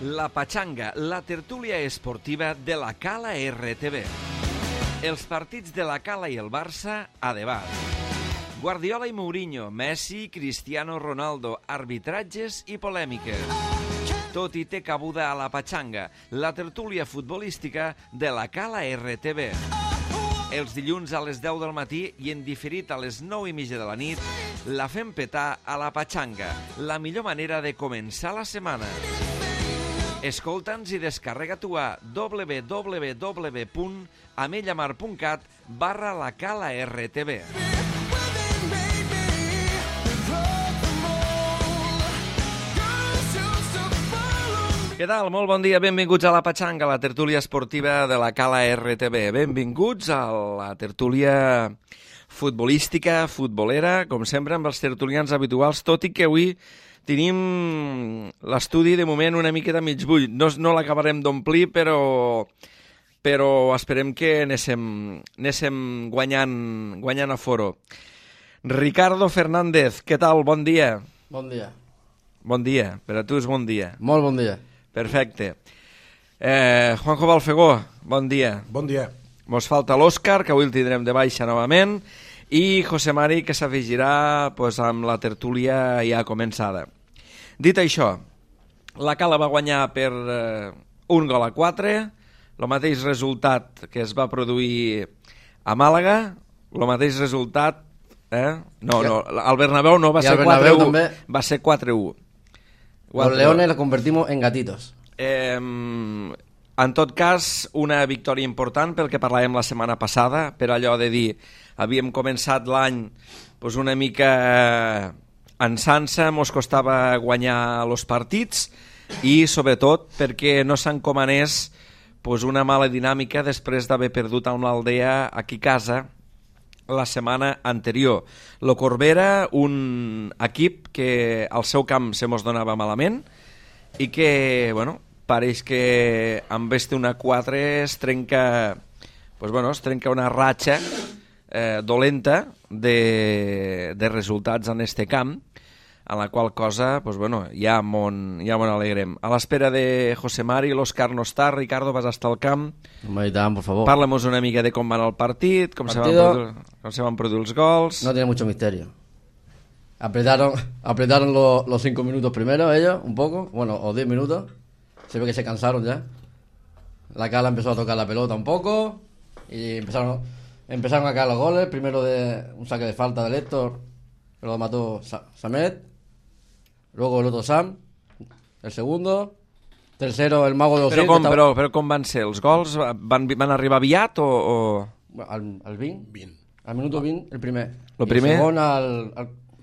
La Pachanga, la tertúlia esportiva de la Cala RTV. Els partits de la Cala i el Barça a debat. Guardiola i Mourinho, Messi, Cristiano Ronaldo, arbitratges i polèmiques. Tot hi té cabuda a la Pachanga, la tertúlia futbolística de la Cala RTV. Els dilluns a les 10 del matí i en diferit a les 9:30 de la nit, la fem petar a la Pachanga, la millor manera de començar la setmana. Escolta'ns i descarrega-t'ho a www.amellamar.cat/lacala-rtv. Què tal? Molt bon dia, benvinguts a la Pachanga, la tertúlia esportiva de la Cala RTV. Benvinguts a la tertúlia futbolística, futbolera, com sempre amb els tertulians habituals, tot i que avui tenim l'estudi de moment una mica de mig bull. No l'acabarem d'omplir, però esperem que anéssim guanyant aforo. Ricardo Fernández, què tal? Bon dia. Bon dia. Bon dia, per a tu és bon dia. Molt bon dia. Perfecte. Juanjo Balfegó, bon dia. Bon dia. Mos falta l'Òscar, que avui el tindrem de baixa novament, i José Mari, que s'afegirà amb la tertúlia ja començada. Dit això, la Cala va guanyar per 1-4, el mateix resultat que es va produir a Màlaga, el mateix resultat... No, al Bernabéu no, va ser 4-1. Va ser 4-1. Los leones los convertimos en gatitos. En tot cas, una victòria important pel que parlàvem la setmana passada, per allò de dir, havíem començat l'any una mica ansant-se, mos costava guanyar els partits i sobretot perquè no s'encomanés una mala dinàmica després d'haver perdut amb l'Aldea aquí a casa la setmana anterior. Lo Corbera, un equip que al seu camp se mos donava malament i que, pareix que amb este 1-4 es trenca una ratxa dolenta de resultats en este camp, en la qual cosa ja m'on alegrem. A l'espera de José Mari, l'Òscar no està, Ricardo, vas estar al camp. Por favor. Parla'mos una mica de com va el partit, com se van produir els gols. No tiene mucho misterio. Apretaron los 5 minutos primero ellos, un poco, o 10 minutos. Se ve que se cansaron ya. La Cala empezó a tocar la pelota un poco y empezaron a caer los goles. Primero de un saque de falta de Héctor, lo mató Samet. Luego el otro Sam, el segundo. Tercero, el mago de Osil. Però com van ser? Els gols van arribar aviat o...? Al 20. Al minuto 20, el primer. El primer? El segon al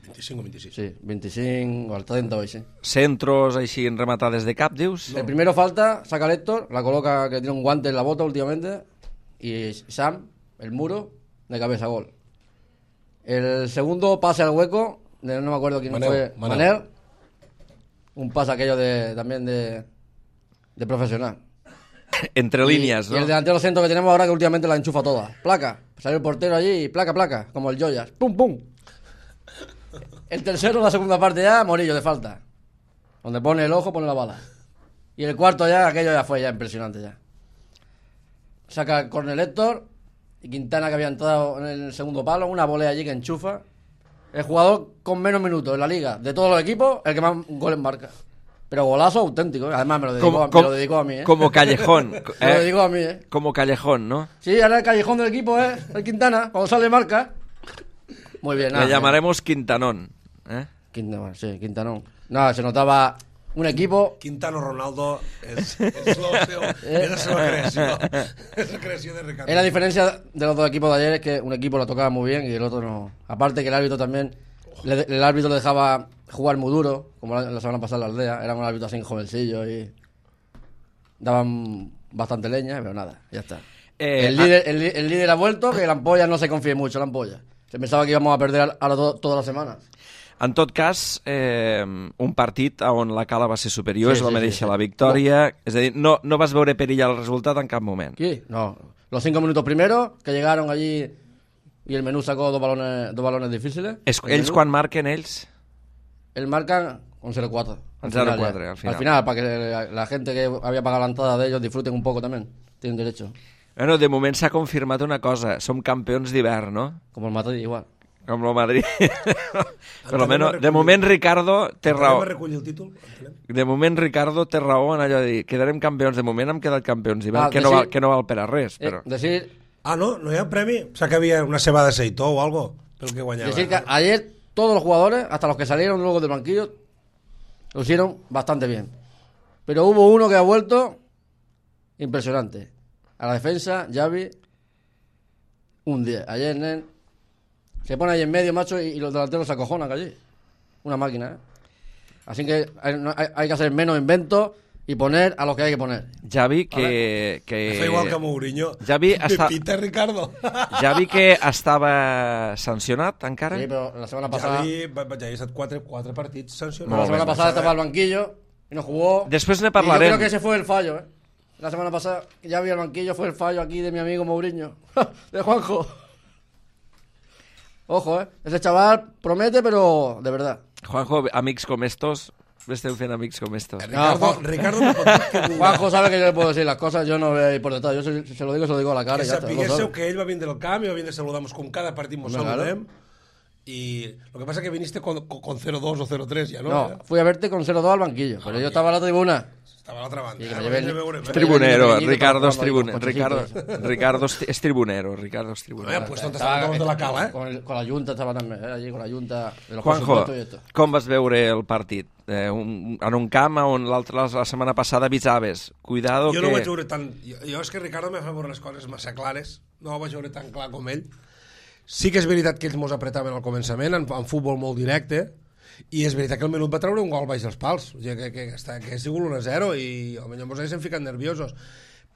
25 o 26. Sí, 25 o al 30 o així. Centros així rematades de cap, dius? No. El primero falta, saca el Héctor, la coloca, que tiene un guante en la bota últimamente, y Sam, el muro, de cabeza, gol. El segundo pase al hueco, no me acuerdo quién fue, Manel. Un pase aquello también de profesional. Entre líneas, ¿no? Y el delantero centro que tenemos ahora, que últimamente la enchufa toda. Placa, salió el portero allí y placa, como el Joyas. ¡Pum, pum! El tercero, la segunda parte ya, Morillo de falta. Donde pone el ojo, pone la bala. Y el cuarto ya, aquello ya fue ya impresionante ya. Saca el córner Héctor y Quintana, que había entrado en el segundo palo, una volea allí que enchufa. El jugador con menos minutos en la liga de todos los equipos, el que más goles marca. Pero golazo auténtico, ¿eh? Además me lo dedicó a mí, ¿eh? Como Callejón. Me lo dedicó a mí, ¿eh? Como Callejón, ¿no? Sí, ahora el Callejón del equipo es el Quintana, cuando sale marca. Muy bien, nada. Le llamaremos Quintanón, ¿eh? Quintanón. Nada, se notaba un equipo... Quintano Ronaldo es la creación de Ricardo. Es la diferencia de los dos equipos de ayer, es que un equipo lo tocaba muy bien y el otro no. Aparte que el árbitro también, el árbitro le dejaba jugar muy duro, como la semana pasada en la Aldea, eran un árbitro así jovencillo y daban bastante leña, pero nada, ya está. El líder ha vuelto, que la ampolla no se confíe mucho, la ampolla. Se pensaba que íbamos a perder todas las semanas. En tot cas, un partit on la Cala va ser superior, es va mereixer la victòria, és a dir, no vas veure perillar el resultat en cap moment. Sí, no. Los 5 minutos primeros, que llegaron allí y el menú sacó dos balones difíciles. Ells quan marquen, ells? El marcan Un 0-4. Un 0-4 al final. Al final, para que la gente que había pagado la entrada de ellos disfruten un poco también. Tienen derecho. Bueno, de moment s'ha confirmat una cosa. Som campions d'hivern, no? Como el Madrid, igual. Com el Madrid. Però almenys, de moment Ricardo té raó. Recollir el títol? De moment Ricardo té raó en allò de dir quedarem campions. De moment hem quedat campions d'hivern, que no val per a res. Però... Decir... Ah, no hi ha un premi? O sea, que había una cebada de seitó o algo pel que guanyava. Decir que ayer todos los jugadores, hasta los que salieron luego del banquillo, lo hicieron bastante bien. Pero hubo uno que ha vuelto impresionante. A la defensa, Xavi, un 10. Ayer, Nen, se pone ahí en medio, macho, y los delanteros se acojonan allí. Una máquina, ¿eh? Así que hay que hacer menos inventos y poner a los que hay que poner. Xavi, que... Fa igual que Mourinho. Xavi Me pita Ricardo. Xavi, que estava sancionat encara. Sí, pero la semana pasada... Xavi ha estat 4 partits sancionats. La semana pasada estaba al banquillo y no jugó. Després ne Y yo parlarem. creo que ese fue el fallo, ¿eh? La semana pasada ya vi al banquillo, fue el fallo aquí de mi amigo Mourinho. De Juanjo. Ojo, ¿eh? Ese chaval promete, pero de verdad. Juanjo, amics com estos, esteu fent amics com estos. Ricardo me pot dir que Juanjo sabe que yo le puedo decir las cosas, yo no voy a ir por detrás. Yo se lo digo a la cara. que Y ya está, lo sapiguéssiu sabe. que ell va vindre al camp i va vindre a saludar-nos com cada partit mos Claro. saludem. Y lo que pasa es que viniste con 0-2 o 0-3 ya, ¿no? No, fui a verte con 0-2 al banquillo, pero yo estaba en la tribuna. Estava a l'altra banda. Sí, que me lleven- És tribunero, Pequeñito Ricardo para és jugar tribunero. con Ricardo és tribunero, Ricardo és Bueno, tribunero. pues on estaven de la cala, ¿eh? Con la Junta estaba también, allí con la Junta de los Juanjo, presupuestos y esto. com vas veure el partit? En un camp on la setmana passada avisaves. Cuidado Jo que... no ho vaig veure tan... Jo és que Ricardo me fa veure les coses massa clares. No ho vaig veure tan clar com ell. Sí que és veritat que ells mos apretaven al començament, en futbol molt directe, i és veritat que el Menut va treure un gol baix dels pals, o sigui, que ha sigut 1-0 i potser mos haguéssim ficat nerviosos.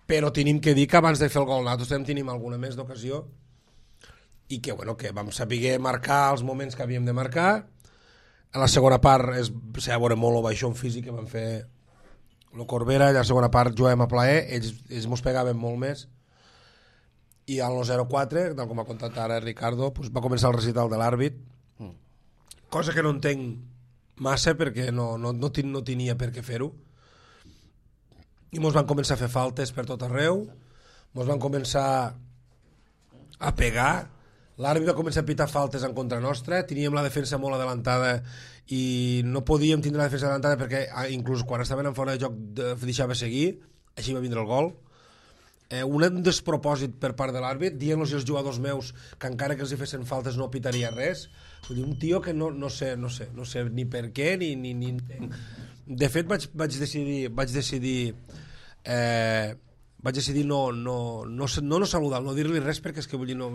Però tenim que dir que abans de fer el gol nosaltres tenim alguna més d'ocasió i que, bueno, que vam saber marcar els moments que havíem de marcar. A la segona part s'ha de veure molt el baixón físic que van fer el Corbera, i a la segona part juguem a plaer, ells mos pegaven molt més, i al 0-4, tal com ha contat ara Ricardo, pues va començar el recital de l'àrbit, cosa que no entenc massa perquè no tenia per què fer-ho, i mos van començar a fer faltes per tot arreu, mos van començar a pegar, l'àrbit va començar a pitar faltes en contra nostra, teníem la defensa molt adelantada i no podíem tindre la defensa adelantada perquè inclús quan estaven en fora de joc deixava seguir, així va vindre el gol. Un despropòsit per part de l'àrbit, dient-los als jugadors meus que encara que els hi fessin faltes no pitaria res. Vull dir, un tio que no sé ni per què ni... De fet vaig decidir no saludar, no dir-li res perquè és que vull dir no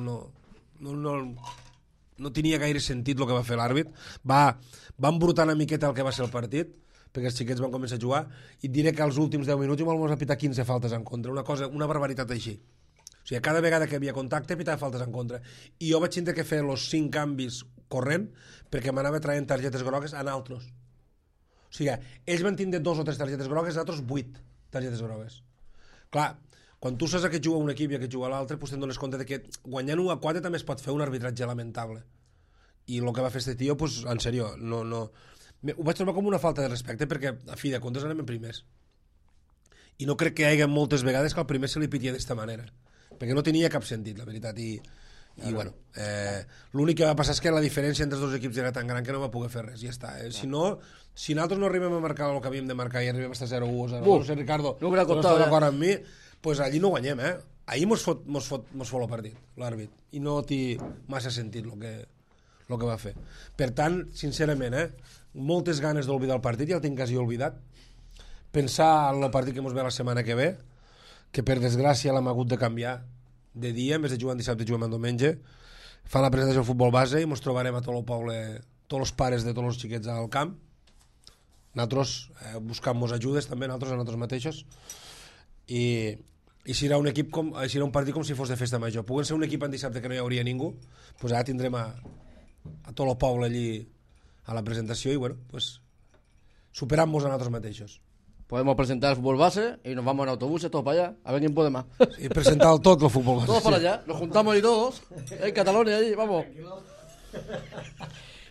tenia gaire sentit el que va fer l'àrbit. Va embrutar una miqueta el que va ser el partit, perquè els xiquets van començar a jugar, i diré que als últims 10 minuts igual vam pitar 15 faltes en contra, una barbaritat així. O sigui, cada vegada que havia contacte pitava faltes en contra, i jo vaig tindre que fer els 5 canvis corrent perquè m'anava traient targetes grogues a naltros. O sigui, ells van tindre 2 o 3 targetes grogues, nosaltres 8 targetes grogues. Clar, quan tu saps a què juga un equip i a què juga l'altre, doncs te'n dones compte que guanyant 1-4 també es pot fer un arbitratge lamentable. I el que va fer este tio, doncs, en sèrio, no... Ho vaig trobar com una falta de respecte perquè, a fi de comptes, anem en primers. I no crec que hi hagi moltes vegades que al primer se li pitia d'esta manera. Perquè no tenia cap sentit, la veritat. I bueno, l'únic que va passar és que la diferència entre els dos equips era tan gran que no va poder fer res, i ja està. Si nosaltres no arribem a marcar el que havíem de marcar i arribem a estar 0-1 o 0-2, no sé, Ricardo, no hubiera no costado, estàs d'acord amb mi, doncs allí no guanyem, Ahir mos fot el partit, l'àrbit, i no té massa sentit el que va fer. Per tant, sincerament, moltes ganes d'oblidar el partit, ja el tinc quasi oblidat. Pensar en el partit que ens ve la setmana que ve, que per desgràcia l'hem hagut de canviar de dia, en vez de jugar en dissabte juguem en diumenge. Fan la presentació del futbol base i ens trobarem a tot el poble, tots els pares de tots els xiquets al camp, nosaltres buscant-nos ajudes també, nosaltres a nosaltres mateixos, i serà un equip serà un partit com si fos de festa major. Puguen ser un equip en dissabte que no hi hauria ningú, doncs ara tindrem a tot el poble allí a la presentació i bueno, pues superant-nos a nosaltres mateixos. Podemos presentar el fútbol base y nos vamos en autobuses todos para allá, a ver quién puede más. Y presentar tot el futbol base. Todos para allá, nos juntamos y todos, en Cataluña allí, vamos.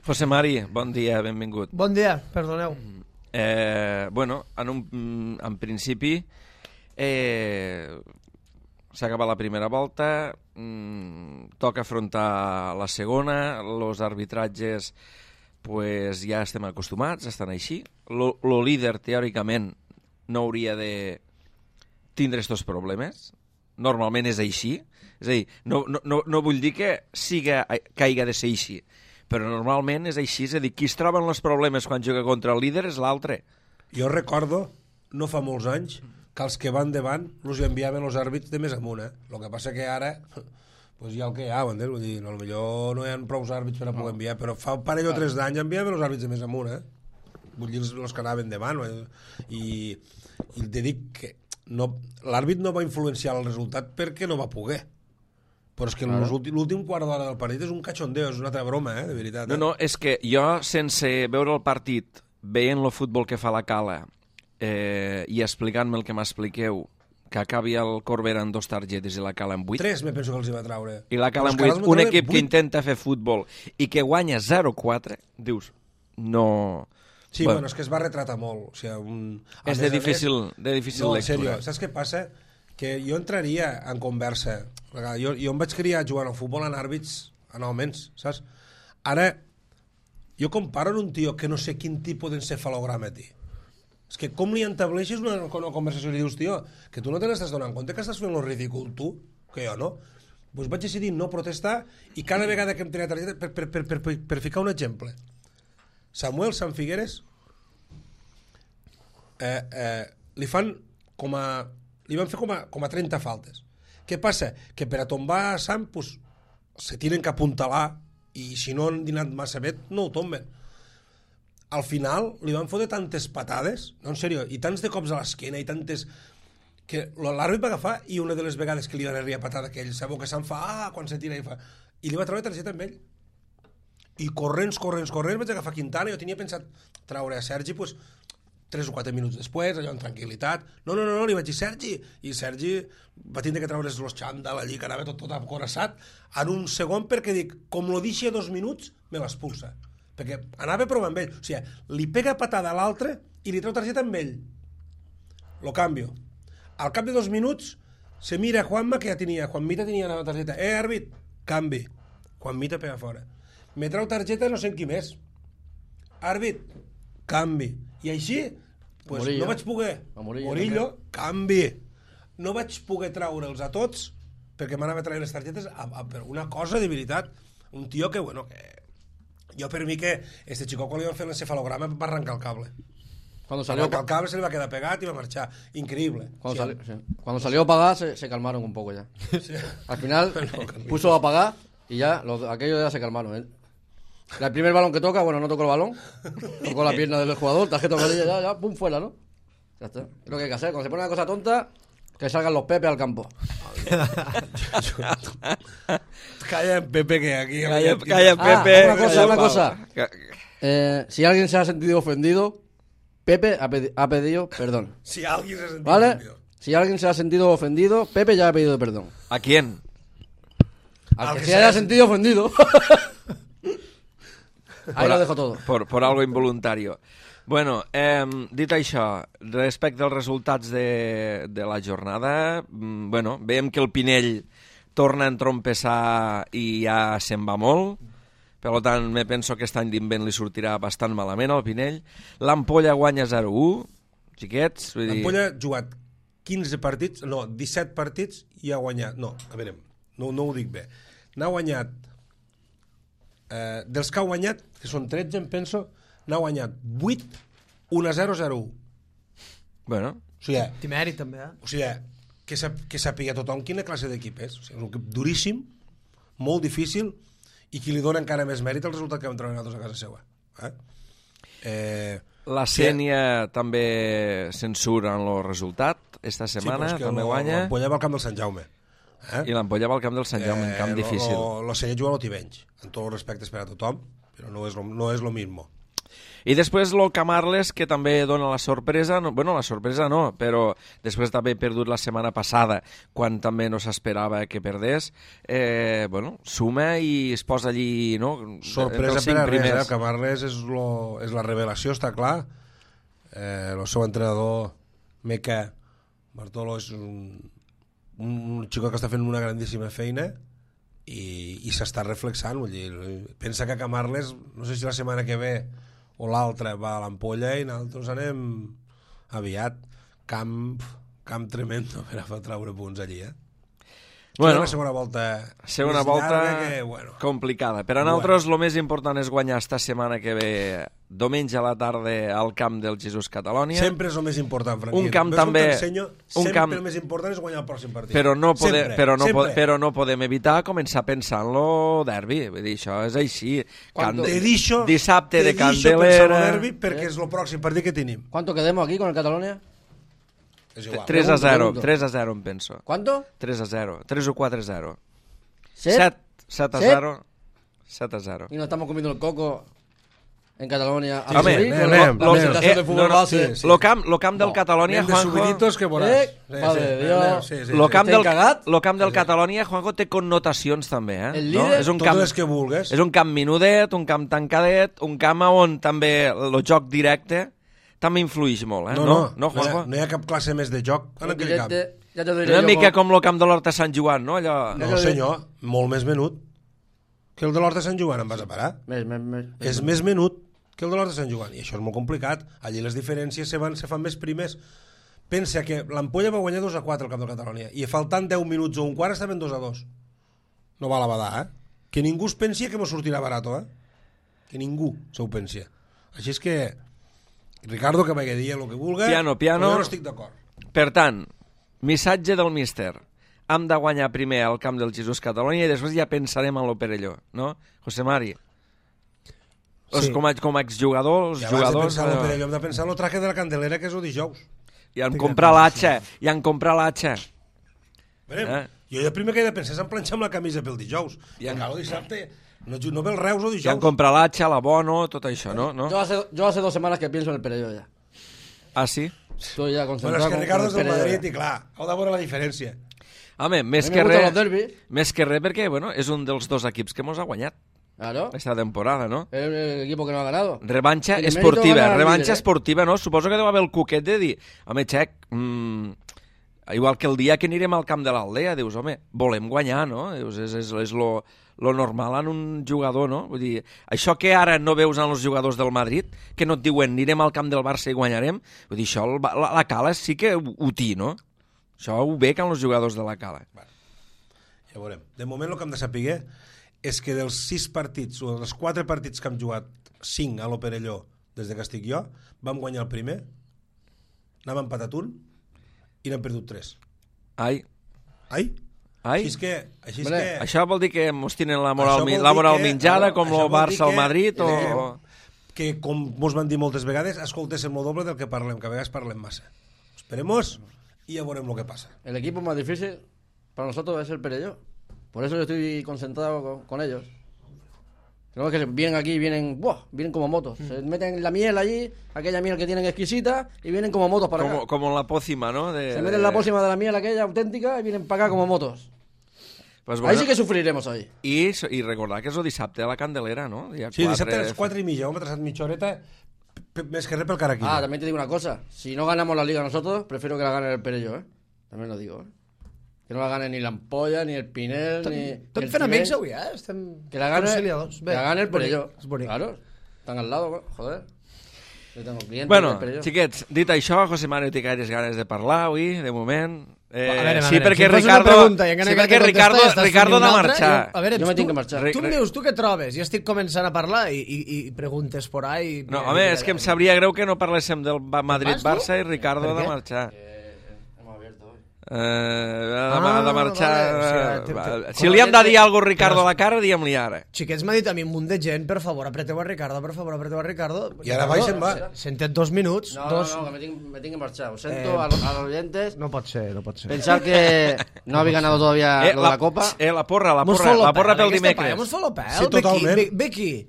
José Mari, bon dia, benvingut. Bon dia, perdoneu. En principi s'ha acabat la primera volta, toca afrontar la segona, els arbitratges pues, ja estem acostumats, estan així. Lo líder, teòricament, no hauria de tindre estos problemes. Normalment és així. És a dir, no vull dir que hagi de ser així, però normalment és així. És a dir, qui es troba en els problemes quan juga contra el líder és l'altre. Jo recordo, no fa molts anys, que els que van davant els enviaven els àrbits de més amunt. El que passa que ara pues hi ha el que hi ha, vull dir, potser no hi ha prou àrbits per a poder enviar, però fa un parell o 3 d'anys enviaven els àrbits de més amunt, vull dir, els que anaven davant, i te dic que l'àrbit no va influenciar el resultat perquè no va poder, però és que l'últim quart d'hora del partit és un cachondeo, és una altra broma, de veritat. No, és que jo, sense veure el partit, veient el futbol que fa la Cala i explicant-me el que m'expliqueu, que acabi el Corbera amb 2 targetes i la Cala amb 8. 3 me penso que els hi va traure. I la Cala amb 8, un equip que intenta fer futbol i que guanya 0-4, dius, no... Sí, bueno, és que es va retratar molt. O sigui, és de difícil lectura. En sèrio, saps què passa? Que jo entraria en conversa. Jo em vaig criar jugant al futbol en àrbits anualment, saps? Ara, jo comparo en un tio que no sé quin tipus d'encefalograma té. És que com li entableixes una conversació i li dius, tio, que tu no te n'estàs donant compte que estàs fent lo ridícul tu, que jo no? Doncs vaig decidir no protestar i cada vegada que em tenia targeta, per ficar un exemple, Samuel Sanfigueres li van fer com a 30 faltes. Què passa? Que per a tombar a Sam pues, se tienen que apuntalar i si no han dinat massa bé no ho tomben. Al final li van fotre tantes patades, no, en sèrio, i tants de cops a l'esquena i tantes... que l'àrbit va agafar i una de les vegades que li van arribar patada que ell sabeu que se'n fa, quan se tira i fa... I li va treure targeta amb ell. I corrents, vaig agafar Quintana, jo tenia pensat treure a Sergi, pues, 3 o 4 minuts després, allò en tranquil·litat. No, li vaig dir Sergi, i Sergi va tindre que treure's los xandall allí, que anava tot acoraçat, en un segon perquè dic, com lo deixi a 2 minuts, me l'expulsa. Perquè anava provant amb ell. O sigui, li pega patada a l'altre i li treu targeta amb ell. Lo canvio. Al cap de 2 minuts se mira Juanma, que ja tenia, Juanmita tenia la targeta. Àrbit, canvi. Juanmita pega fora. Me treu targeta no sé en qui més. Àrbit, canvi. I així, pues, Morillo. no vaig poder. Morillo, canvi. No vaig poder treure'ls a tots perquè m'anava a treure les targetes per una cosa de veritat. Un tio que, bueno, que... Jo per mi que este chico quan li van fer l'encefalograma va arrencar el cable. Cuando salió el cable se le va quedar pegat y va a marchar. Increíble. Cuando salió a pagar se calmaron un poco ya. Sí. Al final puso a pagar y ya aquellos ya se calmaron. El primer balón que toca, bueno, no tocó el balón, tocó la pierna del jugador, tarjeta amarilla, ya, pum, fuera, ¿no? Ya está. Es lo que hay que hacer. Cuando se pone una cosa tonta, que salgan los Pepe al campo. Calla Pepe, que aquí... Calla Pepe. Una cosa. Si alguien se ha sentido ofendido, Pepe ha pedido perdón. Si alguien se ha sentido ofendido. Si alguien se ha sentido ofendido, Pepe ya ha pedido perdón. ¿A quién? Al que se haya sentido ofendido. Ahí lo dejo todo. Por algo involuntario. Bueno, dit això, respecte als resultats de la jornada, bueno, veiem que el Pinell torna a entrompessar i ja se'n va molt, per tant, me penso que aquest any d'invent li sortirà bastant malament al Pinell. L'Ampolla guanya 0-1, xiquets. L'Ampolla ha jugat 15 partits, no, 17 partits i ha guanyat, no, a veure, no ho dic bé, n'ha guanyat, dels que ha guanyat, que són 13 em penso, n'ha guanyat 8, 1-0-0-1. Bueno. O sigui, té mèrit també, O sigui, que sàpiga tothom quina classe d'equip és. O sigui, és un equip duríssim, molt difícil, i qui li dona encara més mèrit al resultat que vam treure nosaltres a casa seva. La Sènia també censura en el resultat esta setmana, sí, també guanya. L'Ampolla va al camp del Sant Jaume. I l'Ampolla va al camp del Sant Jaume, un camp difícil. La Sènia juga a l'Otivenys, amb tots els respectes per a tothom, però no és lo mismo. I després el Camarles, que també dona la sorpresa, la sorpresa no, però després també ha perdut la setmana passada, quan també no s'esperava que perdés, suma i es posa allí, no? Sorpresa per a res, el Camarles és la revelació, està clar. El seu entrenador, Meca Bartolo, és un xico que està fent una grandíssima feina i s'està reflexant, vull dir, pensa que Camarles, no sé si la setmana que ve o l'altra va a l'Ampolla i nosaltres anem aviat. Camp tremendo per a treure punts allí, Bueno, la segona volta complicada. Per a nosaltres el més important és guanyar esta setmana que ve, diumenge a la tarda, al camp del Jesús Catalònia. Sempre és el més important, Franquín. Un camp també... El més important és guanyar el pròxim partit. Però no podem evitar començar a pensar en lo derbi. Vull dir, això és així. Dissabte de Candelera... derbi perquè és el pròxim partit que tenim. ¿Cuánto quedemos aquí con el Catalonia? 3-0, em penso. ¿Cuánto? 3-0, 3 o 4-0. 7-0. 7-0. Y nos estamos comiendo el coco en Catalonia. Lo camp del Catalonia, Juanjo... Lo camp del Catalonia, Juanjo, té connotacions també, El líder, tot les que vulgues. És un camp menudet, un camp tancadet, un camp on també el joc directe també influeix molt, No, hi ha cap classe més de joc en aquell camp. Una mica com el camp de l'Horta Sant Joan, no? No, senyor, molt més menut que el de l'Horta Sant Joan, em vas a parar? És més menut que el de l'Horta Sant Joan, i això és molt complicat. Allí les diferències se fan més primes. Pensa que l'Ampolla va guanyar 2-4 al camp del Catalonia, i faltant 10 minuts o un quart estaven 2-2. No va a la badar, Que ningú es pensi que mos sortirà barato, Que ningú s'ho pensi. Així és que Ricardo que vagi a dir el que vulgui, piano. Jo no estic d'acord. Per tant, missatge del míster. Hem de guanyar primer al camp del Jesús Catalònia i després ja pensarem en lo Perelló, no? José Mari. Sí. Com a exjugador, els jugadors... Abans de pensar en lo Perelló hem de pensar en el traje de la Candelera, que és el dijous. I en comprar l'atxa. Jo el primer que he de pensar és en planxar amb la camisa pel dijous. I encara el dissabte... No ve el Reus o dijous. Ja han comprat l'atxa, l'abono, tot això, ¿no? Yo hace 2 semanas que pienso en el Perelló ya. Ah, sí? Estoy ya concentrado. Bueno, és que Ricardo és del Madrid i clar, heu de veure la diferència. Home, més que res perquè, és un dels 2 equips que mos ha guanyat. Claro. Esta temporada, ¿no? El equipo que no ha ganado. Revancha esportiva, ¿no? Suposo que deu haver el cuquet de dir, home, Xec, igual que el dia que anirem al camp de l'Aldea, dius, home, volem guanyar, no? Dius, és lo normal en un jugador, no? Vull dir, això que ara no veus en els jugadors del Madrid, que no et diuen anirem al camp del Barça i guanyarem, vull dir, això la Cala sí que ho té, no? Això ho bec en els jugadors de la Cala. Ja veurem. De moment el que hem de saber és que dels 6 partits, o dels 4 partits que hem jugat, 5 a l'Operelló des de que estic jo, vam guanyar el primer, n'hem empatat un i n'hem perdut 3. Ai? Així és que... Això vol dir que mos tenen la moral menjada com el Barça al Madrid o... Que, com mos van dir moltes vegades, escoltéssim el doble del que parlem, que a vegades parlem massa. Esperemos y ya veremos lo que pasa. El equipo más difícil para nosotros es el Perelló. Por eso yo estoy concentrado con ellos. No es que vienen aquí, vienen como motos. Se meten la miel allí, aquella miel que tienen exquisita, y vienen como motos para acá. Como la pócima, ¿no? Se meten la pócima de la miel aquella auténtica y vienen para acá como motos. Pues ahí sí que sufriremos ahí. I recordar que és el dissabte a la Candelera, ¿no? Sí, dissabte a les 4:30, hemos atrasat mitja horeta, més que res pel caraquillo. También te digo una cosa, si no ganamos la liga nosotros, prefiero que la gane el Perelló, También lo digo, Que no la gane ni l'Ampolla, ni el Pinel, ni el fent amics avui, Que la gane el Perelló. Claro, están al lado, joder. Bueno, xiquets, dit això, José Mario té gaires ganes de parlar avui, de moment. Sí, perquè Ricardo ha de marxar. A veure, jo me tinc que marxar. Tu em dius, tu què trobes? Jo estic començant a parlar i preguntes por ahí. No, home, és que em sabria greu que no parléssim del Madrid-Barça i Ricardo ha de marxar. Ha de marxar. Si li hem de dir alguna cosa a Ricardo a la cara, diguem-li ara. Xiquets, m'ha dit a mi un munt de gent, per favor, apreteu a Ricardo, I ara va i se'n va. Sentet 2 minuts. No, que me tinc que marxar. Ho sento a los oyentes. No pot ser. Pensar que no habéis ganado todavía lo de la Copa. La porra pel dimecres. Mos fa lo pèl, ve aquí.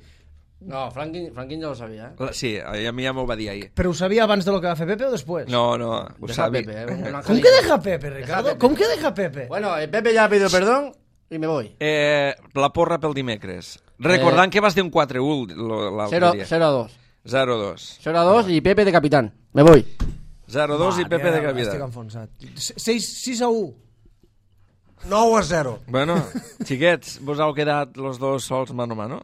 No, Franklin ja ho sabia, Sí, a mi ja m'ho va dir ahir. Però ho sabia abans de lo que va fer Pepe o després? No, ho Deja sabia. Pepe, un ¿Cómo angelito. que deja Pepe, Ricardo? Pepe. ¿Cómo que deja Pepe? Bueno, Pepe ya ha pedido perdón y me voy. La porra pel dimecres. Recordant que vas dir un 4-1 l'altre dia. 0-2. 0-2. 0-2 y Pepe de capitán. Me voy. 0-2 i Pepe de Estic capità. enfonsat. 6-1. 9-0. Bueno, xiquets, vos heu quedat los dos sols mano a mano?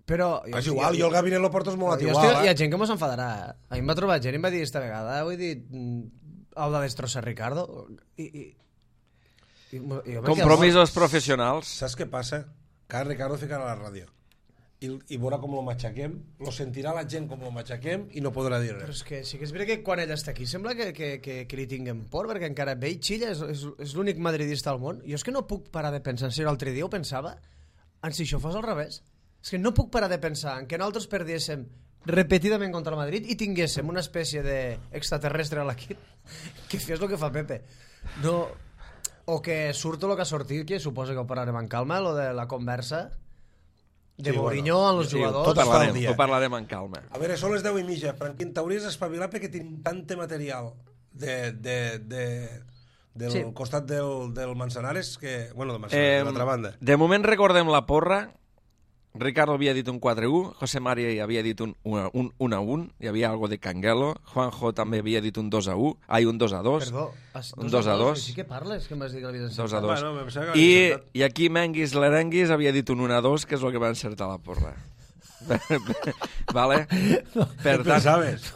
Però... És igual, jo el gabinet lo porto molt Hi igual. ha gent que mos enfadarà. A mi em va trobar gent i em va dir esta vegada, vull dir, heu de destrossar Ricardo. Compromisos professionals. Saps què passa? Que ara Ricardo ficarà a la ràdio i veurà com lo matxaquem, lo sentirà la gent com lo matxaquem i no podrà dir Però res. és que sí que és veritat que quan ell està aquí sembla que li tinguem por, perquè encara ve i xilla, és l'únic madridista al món. Jo és que no puc parar de pensar, si l'altre dia ho pensava, en si això fos al revés. És que no puc parar de pensar en que nosaltres perdiéssim repetidament contra el Madrid i tinguéssim una espècie d'extraterrestre a l'equip que fes el que fa Pepe. No, o que surto el que ha sortit, que suposa que ho parlarem en calma, lo de la conversa de Sí, Mourinho bueno, amb els sí, jugadors. tot es fa al dia. Ho parlarem en calma. A veure, són les 10:30. Franquín, t'hauries d'espavilar perquè tenim tant material del Sí. costat del Manzanares que... Bueno, del Manzanares, de l'altra banda. De moment recordem la porra. Ricardo havia dit un 4-1, José María havia dit un 1-1, hi havia algo de Canguelo, Juanjo també havia dit un 2-1, un 2-2, Perdó, un 2-2. Sí que parles, que m'has dit que l'havies 2-2. Bueno, em pensava que l'havies acertat. I aquí Menguis Lerenguis havia dit un 1-2, que és el que va encertar la porra. Vale? Per tant, Pensaves?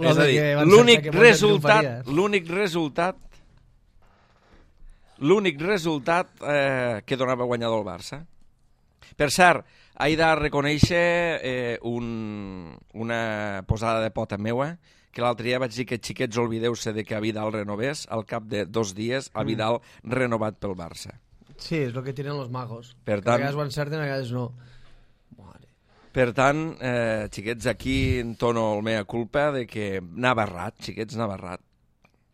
és a dir, l'únic resultat que donava guanyador el Barça. Per cert, he de reconèixer una posada de pota meua, que l'altre dia vaig dir que xiquets oblideu-se de que a Vidal renovés, al cap de 2 dies a Vidal renovat pel Barça. Sí, és el que tienen los magos. Per Que tant- a vegades ho encerten, a vegades no. Mare. Per tant, xiquets, aquí entono el mea culpa de que anava errat, xiquets, anava errat.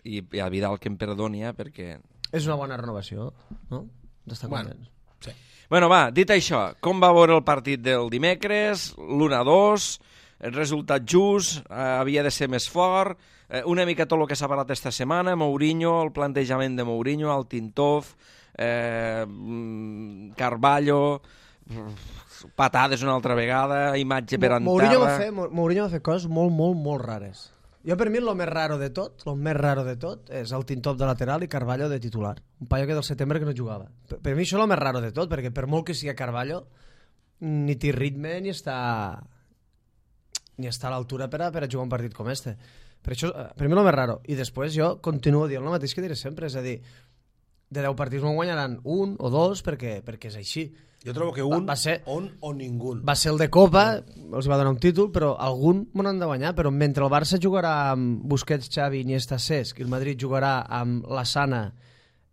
I a Vidal que em perdoni, perquè... És una bona renovació, no? D'estar Bueno. contents. Sí. Bueno, va, dit això, com va veure el partit del dimecres, l'1-2, el resultat just, havia de ser més fort, una mica tot el que s'ha parlat esta setmana, Mourinho, el plantejament de Mourinho, el Tintov, Carvalho, patades una altra vegada, imatge per en terra... Mourinho va fer coses molt, molt, molt rares. Jo, per mi, el més raro de tot, és el Tintop de lateral i Carvalho de titular. Un paio que del setembre que no jugava. Per mi això és el més raro de tot, perquè per molt que sigui Carvalho, ni té ritme ni està a l'altura per a jugar un partit com este. Per això, per mi, el més raro. I després jo continuo dient el mateix que diré sempre, és a dir, de 10 partits no guanyaran 1 o 2 perquè és així. Jo trobo que Va ser- on o ningú. Va ser el de Copa, els va donar un títol, però algun m'ho han de guanyar. Però mentre el Barça jugarà amb Busquets, Xavi, Iniesta, Cesc, i el Madrid jugarà amb la Sana,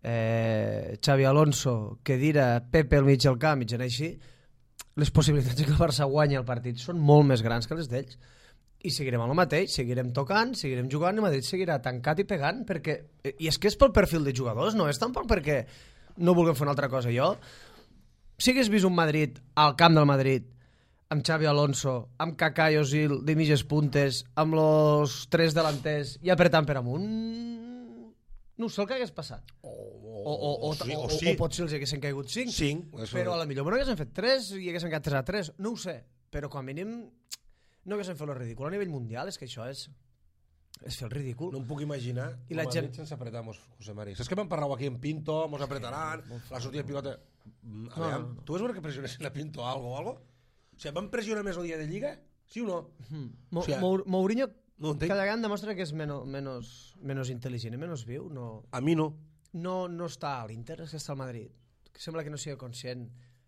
Xavi Alonso, Khedira, Pepe al mig del camp, i gent així, les possibilitats que el Barça guanyi el partit són molt més grans que les d'ells. I seguirem amb el mateix, seguirem tocant, seguirem jugant, i el Madrid seguirà tancat i pegant, perquè... I és que és pel perfil de jugadors, no és tampoc perquè no vulguem fer una altra cosa. Jo, si hagués vist un Madrid al camp del Madrid, amb Xavi Alonso, amb Kaká i Özil de mitges puntes, amb los 3 delanters i apretant per amunt, no sé el que hagués passat. O potser els haguessin caigut 5, 5. però a la millor no haguessin fet 3 i haguessin quedat 3-3, no ho sé, però com a mínim no haguessin fet el ridícul a nivell mundial. És que això és fer el ridícul. No em puc imaginar I la gent... sense apretar-nos, José Mari. Saps que vam parlar aquí en Pinto, mos apretaran, la sortida de pilota... No. Tu vas veure que pressionessin a Pinto o algo? O sigui, van pressionar més el dia de Lliga? Sí o no? O sigui, Mourinho no ho entenc. cada vegada demostra que és menys intel·ligent i menys viu. A mi no. No està a l'Inter, és que està al Madrid. Que sembla que no sigui conscient.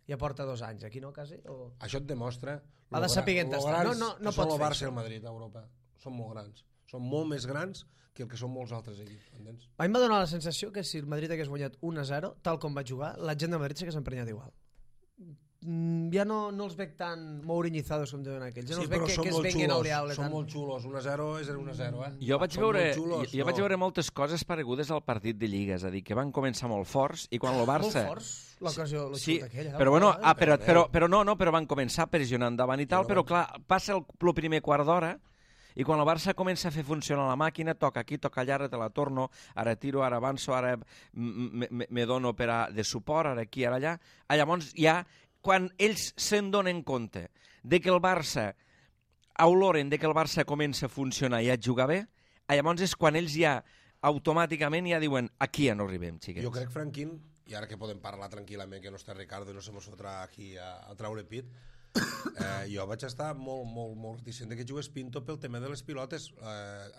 Ja porta 2 anys aquí, no, quasi? O... Això et demostra... Ha de saber estar. No pot fer el fer Barça i això. el Madrid a Europa. Són molt grans. Són molt més grans que el que són molts altres equips, entens? A mi em va donar la sensació que si el Madrid hagués guanyat 1-0, tal com va jugar, la gent del Madrid s'hagués emprenyat igual. ja no els veig tan mouriñizados com diuen aquells. Ja no els veig però que es venguin al diable. Són molt xulos. 1-0 és 1-0, Jo vaig veure moltes coses paregudes al partit de Lliga, és a dir, que van començar molt forts i quan el Barça... Molt forts, l'ocasió, sí, però bueno, però van començar pressionant davant i tal, però clar, passa el primer quart d'hora i quan el Barça comença a fer funcionar la màquina, toca aquí, toca allà, ara te la torno, ara tiro, ara avanço, ara me dono de suport, ara aquí, ara allà. Llavors ja, quan ells se'n donen compte de que el Barça, oloren de que el Barça comença a funcionar i a jugar bé, llavors és quan ells ja automàticament ja diuen aquí ja no arribem, xiquets. Jo crec, Franquín, i ara que podem parlar tranquil·lament, que no està Ricardo i no se mos fotrà aquí a traure pit, jo vaig estar molt reticent que jugués Pinto pel tema de les pilotes.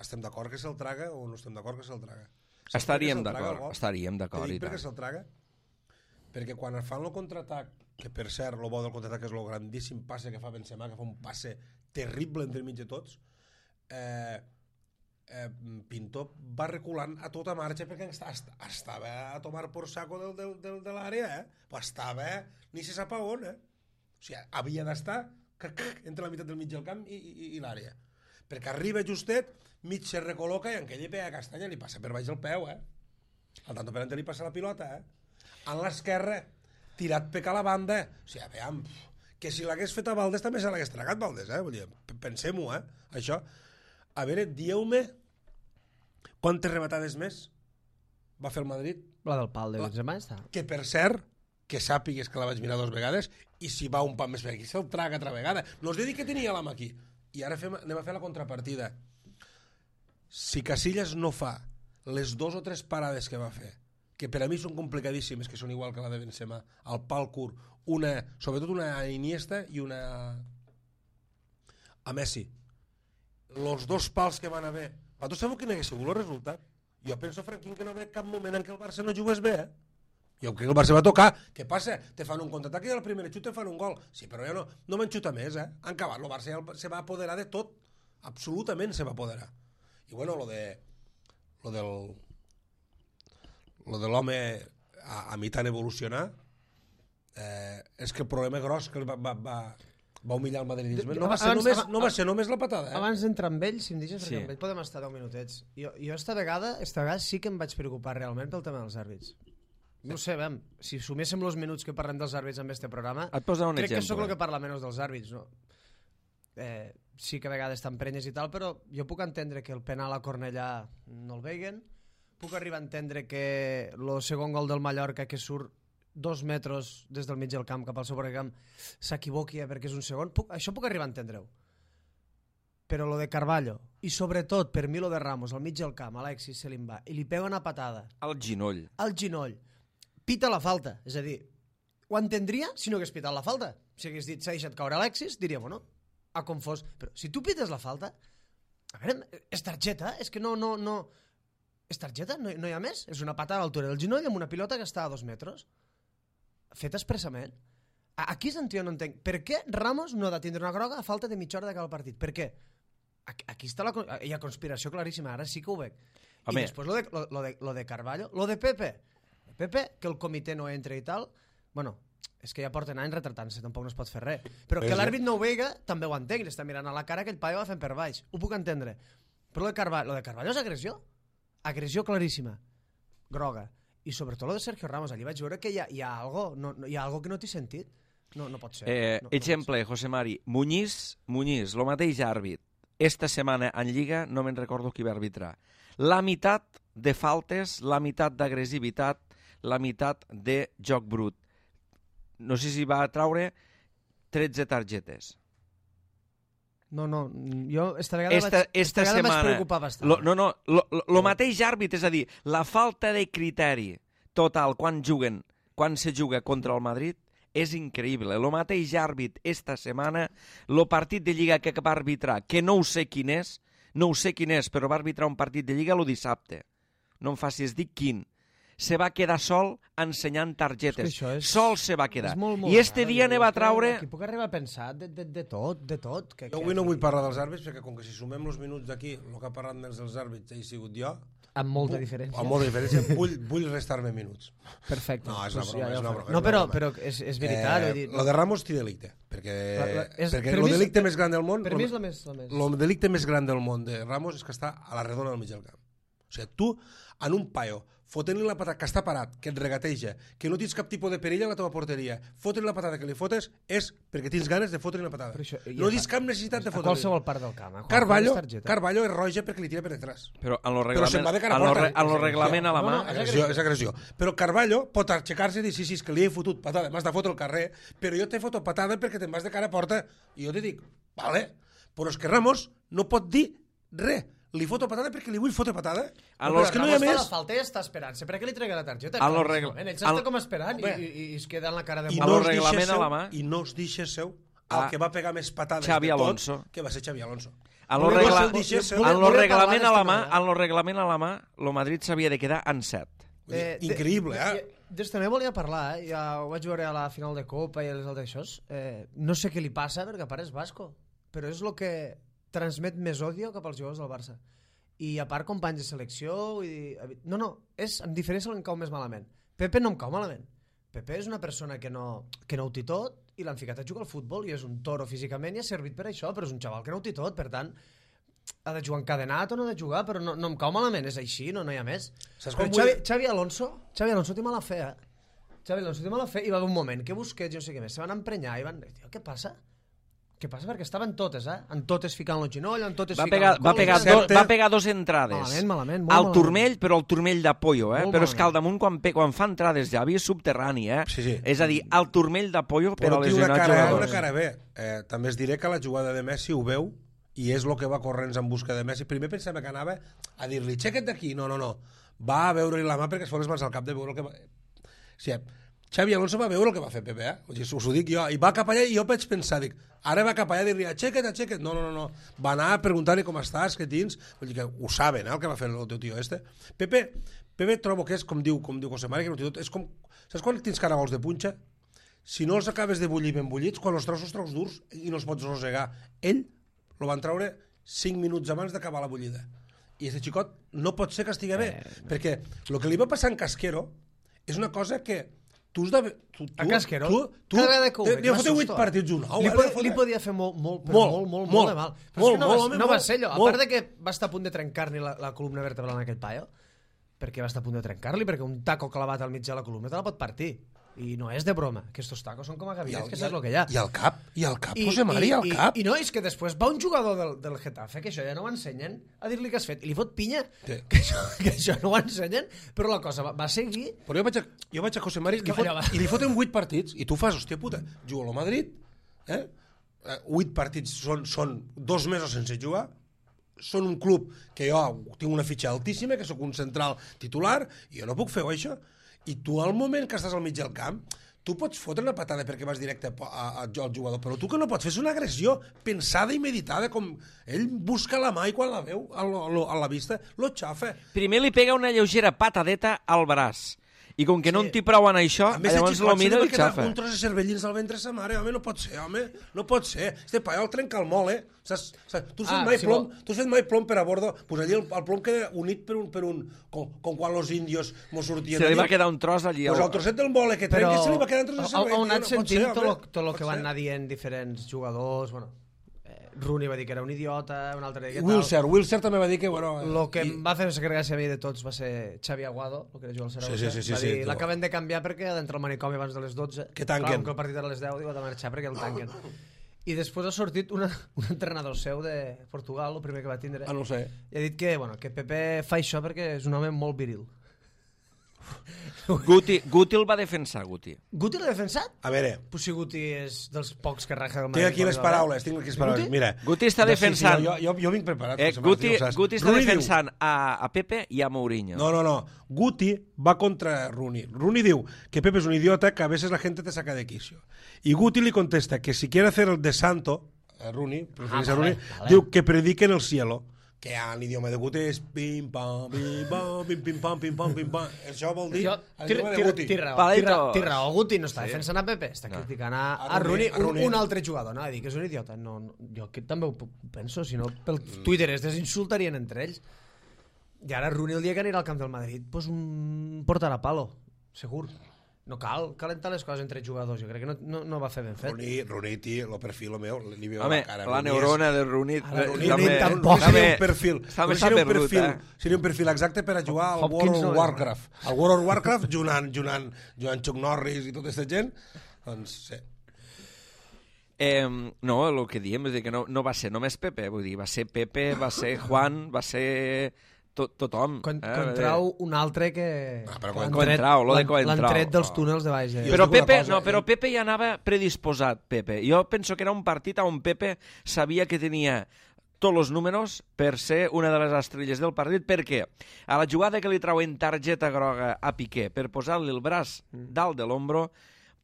Estem d'acord que se'l traga o no estem d'acord que se'l traga? Estaríem d'acord. Te dic per què se'l traga? Perquè quan fan el contraatac, que per cert, el bo del contraatac és el grandíssim passe que fa Benzema, que fa un passe terrible entre mig de tots, Pinto va reculant a tota marxa perquè estava a tomar por saco de l'àrea, però estava ni se sap on, o sigui, havia d'estar entre la meitat del mig del camp i l'àrea, perquè arriba justet, mig se recol·loca i en aquella pega castanya li passa per baix el peu, al tanto per ante li passa la pilota, en l'esquerra, tirat per a la banda, o sigui, veiem, que si l'hagués fet a Valdés també se l'hagués tragat Valdés, vull dir, pensem-ho, això. A veure, dieu-me quantes rematades més va fer el Madrid? La del pal de Benzema està. Que per cert, que sàpigues que la vaig mirar 2 vegades i si va un pas més per aquí se'l traga altra vegada. No us he dit que tenia l'ama aquí. I ara anem a fer la contrapartida. Si Casillas no fa les 2 o 3 parades que va fer, que per a mi són complicadíssimes, que són igual que la de Benzema, al pal curt, sobretot una a Iniesta i una a Messi. Els 2 pals que van haver, vosaltres sabeu quin hagués sigut el resultat? Jo penso, Franquín, que no ve cap moment en què el Barça no jugués bé, Jo crec que el Barça va tocar. Què passa? Te fan un contraatac i al primer xut te fan un gol. Sí, però ja no van xutar més, Han acabat. El Barça ja se va apoderar de tot. Absolutament se va apoderar. I bueno, lo de l'home a mi tan evolucionar és que el problema gros que va humillar el madridisme no va ser només la patada. Abans d'entrar amb ell, si em deixes, perquè amb ell podem estar 10 minutets. Jo esta vegada sí que em vaig preocupar realment pel tema dels àrbits. No sé, si suméssim els minuts que parlem dels àrbits en este programa, crec que sóc el que parla menys dels àrbits, no? Sí que a vegades estan prenyes i tal, però jo puc entendre que el penal a Cornellà no el veiguen, puc arribar a entendre que el segon gol del Mallorca, que surt 2 metres des del mig del camp cap al seu propi camp, s'equivoqui perquè és un segon, això puc arribar a entendre-ho. Però lo de Carvalho, i sobretot per mi lo de Ramos al mig del camp, Alexis se li va, i li pega una patada al ginoll, pita la falta, és a dir, ho entendria si no hagués pitat la falta. Si hagués dit s'ha deixat caure Alexis, diríem, no, ha confós, però si tu pites la falta, a veure, és targeta, és que no és targeta, no hi ha més, és una patada a l'altura del ginoll amb una pilota que està a 2 metres feta expressament. Aquí és on jo no entenc per què Ramos no ha de tindre una groga a falta de mitja hora d'acabar el partit. Per què? Aquí està hi ha conspiració claríssima, ara sí que ho veig. I després lo de Carvalho, lo de Pepe, que el comitè no entra i tal, bueno, és que ja porten anys retratant-se, tampoc no es pot fer res. Però que l'àrbit no ho veiga, també ho entenc, li està mirant a la cara que el paio va fent per baix, ho puc entendre. Però lo de Carvalho és agressió claríssima, groga. I sobretot lo de Sergio Ramos, allí vaig veure que hi ha algo que no t'he sentit. No pot ser. Exemple, José Mari, Muñiz, el mateix àrbit. Esta setmana en Lliga no me'n recordo qui va arbitrar. La meitat de faltes, la meitat d'agressivitat, la meitat de joc brut. No sé si va traure 13 targetes. No, jo esta vegada vaig preocupar bastant. Lo mateix àrbit, és a dir, la falta de criteri total quan se juga contra el Madrid és increïble. El mateix àrbit esta setmana, el partit de Lliga que va arbitrar, que no sé quin és, però va arbitrar un partit de Lliga el dissabte. No em facis dir quin. Se va quedar sol ensenyant targetes. Sol se va quedar. I este dia ne va traure... Aquí puc arribar a pensar de tot. Jo avui no vull parlar dels àrbits, perquè com que si sumem els minuts d'aquí, el que ha parlat més dels àrbits he sigut jo, amb molta diferència. Amb molta diferència. Vull restar-me minuts. Perfecte. No, és una Pues broma, ja és ho una faré. broma. No, és una broma. però és veritat. Vull dir, Lo de Ramos té delicte, perquè per el mi és- delicte més gran del món... per mi és la més... El delicte més gran del món de Ramos és que està a la redona del mig del camp. O sigui, tu, en un paio, fotent-li la patada, que està parat, que et regateja, que no tens cap tipus de perill a la teva porteria, fotre-li la patada que li fotes és perquè tens ganes de fotre-li una patada. Però això- No tens cap necessitat de a fotre-li. qualsevol part del camp. A qualsevol targeta. Carvalho és roja perquè li tira per detrás. Però en lo Però se'n va de cara a en lo porta. en lo reglament a la mà... És agressió. Però Carvalho pot aixecar-se i dir, sí, és que li he fotut patada, m'has de fotre al carrer, però jo t'he fotut patada perquè te'n vas de cara a porta. I jo te dic, vale, però és que Ramos no pot dir res. Li foto patada perquè li vull fotre patada. En Però lo- és que no hi ha Ramos fa més. la falta i està esperant. Sempre que li tregui la targeta. En lo claríssimament. regla- Ell s'està en- com esperant Home. i es queda en la cara de I A no lo es deixa reglament a la seu, mà. i no es deixa seu Ah, el que va pegar més patades Xavi de tot, Alonso. que va ser Xavi Alonso. En lo, Volia- regla... volia- deixa seu. en lo volia reglament a la parlar mà, d'esta en lo reglament a la mà, lo Madrid s'havia de quedar en 7. Vull dir, increïble, Des també volia parlar, ja ho vaig veure a la final de Copa i a les altres això. No sé què li passa, perquè a part és basco, però és el que transmet més odio cap als jugadors del Barça. I a part companys de selecció, vull dir... No, és amb diferència el que em cau més malament. Pepe no em cau malament. Pepe és una persona que no ho té tot i l'han ficat a jugar al futbol i és un toro físicament i ha servit per això, però és un xaval que no ho té tot, per tant ha de jugar encadenat o no ha de jugar, però no em cau malament, és així, no hi ha més. Saps Com com vull- Xavi Alonso té mala fe, Xavi Alonso té mala fe i va haver un moment que Busquets, no sé què més, se van emprenyar i van dir, tio, què passa? Què passa? Perquè estaven totes, en totes ficant el genoll, en totes Va ficant pegar, el va, col, pegar Certe. va pegar dos entrades. Malament, molt al malament. turmell, però el turmell de pollo, Molt però és que al malament. damunt quan fa entrades ja havia subterrani, Sí. És a dir, al turmell de pollo per Però a té una lesionar cara, una jugadors. cara bé. També es diré que la jugada de Messi ho veu i és el que va corrents en busca de Messi. Primer pensava que anava a dir-li, aixeca't d'aquí. No. Va a veure-li la mà perquè es fot les mans al cap de veure el que va... O sigui, Xavi Alonso va veure el que va fer Pepe, O sigui, us ho dic jo. I va cap allà i jo vaig pensar, dic, ara va cap allà a dir-li, aixeca't. No. Va anar a preguntar-li com estàs, què tens. Vull dir que ho saben, el que va fer el teu tio este. Pepe trobo que és, com diu José Mari, que no té tot, és com... Saps quan tens caragols de punxa? Si no els acabes de bullir ben bullits, quan els treus durs i no els pots rosegar. Ell lo van treure 5 minuts abans d'acabar la bullida. I aquest xicot no pot ser que estigui bé, perquè el que li va passar en Casquero és una cosa que tu has de... A Casquero, tu cada vegada que ho veig, li ha fotut 8 m'assusto, partits un. Li podia fer molt de mal. Però molt, és que molt, no va ser allò. A molt. part de que va estar a punt de trencar-li la columna vertebral en aquell paio, perquè va estar a punt de trencar-li, perquè un taco clavat al mig de la columna te la pot partir. I no és de broma, que estos tacos són com a gavines, que saps el que hi ha. I el cap, José Mari, el cap. I no, és que després va un jugador del Getafe, que això ja no ho ensenyen, a dir-li què has fet, i li fot pinya, Sí. que això no ho ensenyen, però la cosa va seguir. Però jo vaig a José Mari que allò va- i li foten 8 partits i tu fas, hòstia puta, juga al Madrid, 8 partits són 2 mesos sense jugar, són un club que jo tinc una fitxa altíssima, que sóc un central titular, i jo no puc fer això. I tu al moment que estàs al mig del camp, tu pots fotre una patada perquè vas directe al jugador, però tu que no pots fer és una agressió pensada i meditada, com ell busca la mà i quan la veu a la vista, lo xafa. Primer li pega una lleugera patadeta al braç. I com que no en té prou en això, A més, llavors lo mira i el xafa. un tros de cervellins al ventre sa mare, home, no pot ser, no pot ser. Este paio el trenca el mol, Saps? Tu has fet mai plom per a bordo, pues allí el plom queda unit per un com quan los indios mos sortien. Se li va quedar un tros allí. Pues el trosset del mole que trenca se li va quedar un tros de cervell. on has sentit tot el que pot van ser. anar dient diferents jugadors, bueno, Rooney va dir que era un idiota, un altre que Wilser també va dir que, bueno... Lo que em va fer gràcia a mi de tots va ser Xavi Aguado, el que era jugar al Saragossa. Sí, va dir, tu. l'acaben de canviar perquè ha d'entrar al manicomi abans de les 12. Que tanquen. Clar, com que el partit era a les 10, diu, ha de marxar perquè el tanquen. I després ha sortit un entrenador seu de Portugal, el primer que va tindre, No ho sé. i ha dit que Pepe fa això perquè és un home molt viril. Guti el va defensar, Guti. Guti l'ha defensat? A veure, Pues si Guti és dels pocs que raja del tinc aquí les paraules, Mira. Guti està defensant. Jo vinc preparat. José Martí, Guti ja ho saps. està Rooney diu- defensant a Pepe i a Mourinho. No. Guti va contra Rooney. Rooney diu que Pepe es un idiota, que a veces la gente te saca de quicio. Y Guti le contesta que si quiere hacer el de santo, a Rooney, prefereix a Rooney, diu que predique en el cielo. Que en l'idioma de Guti és pim-pam, pim-pam, pim-pam, pim-pam, pim-pam. Això vol dir l'idioma de Guti. Té raó, Guti no està defensant a Pepe, està criticant a Rooney, un altre jugador, no? A dir que és un idiota. No, jo també ho penso, si no pel Twitter es desinsultarien entre ells. I ara Rooney el dia que anirà al camp del Madrid pues un portarà palo, segur. No cal calentar les coses entre jugadors, jo crec que no va fer ben fet. Rooney, tio, el perfil meu, li veu Home, la cara. la neurona de Rooney... Rooney tampoc. Seria un perfil. Està perdut, Seria un perfil exacte per a jugar al World of Warcraft. Al World of Warcraft, jugant Chuck Norris i tota aquesta gent, doncs, sí. No, el que diem és que no va ser només Pepe, vull dir, va ser Pepe, va ser Juan, va ser tothom. Contrau un altre que... Coentrao, lo de Coentrao. L'han tret dels túnels de baix. Però Pepe ja anava predisposat, Pepe. Jo penso que era un partit on Pepe sabia que tenia tots els números per ser una de les estrelles del partit, perquè a la jugada que li trauen targeta groga a Piqué per posar-li el braç dalt de l'ombro,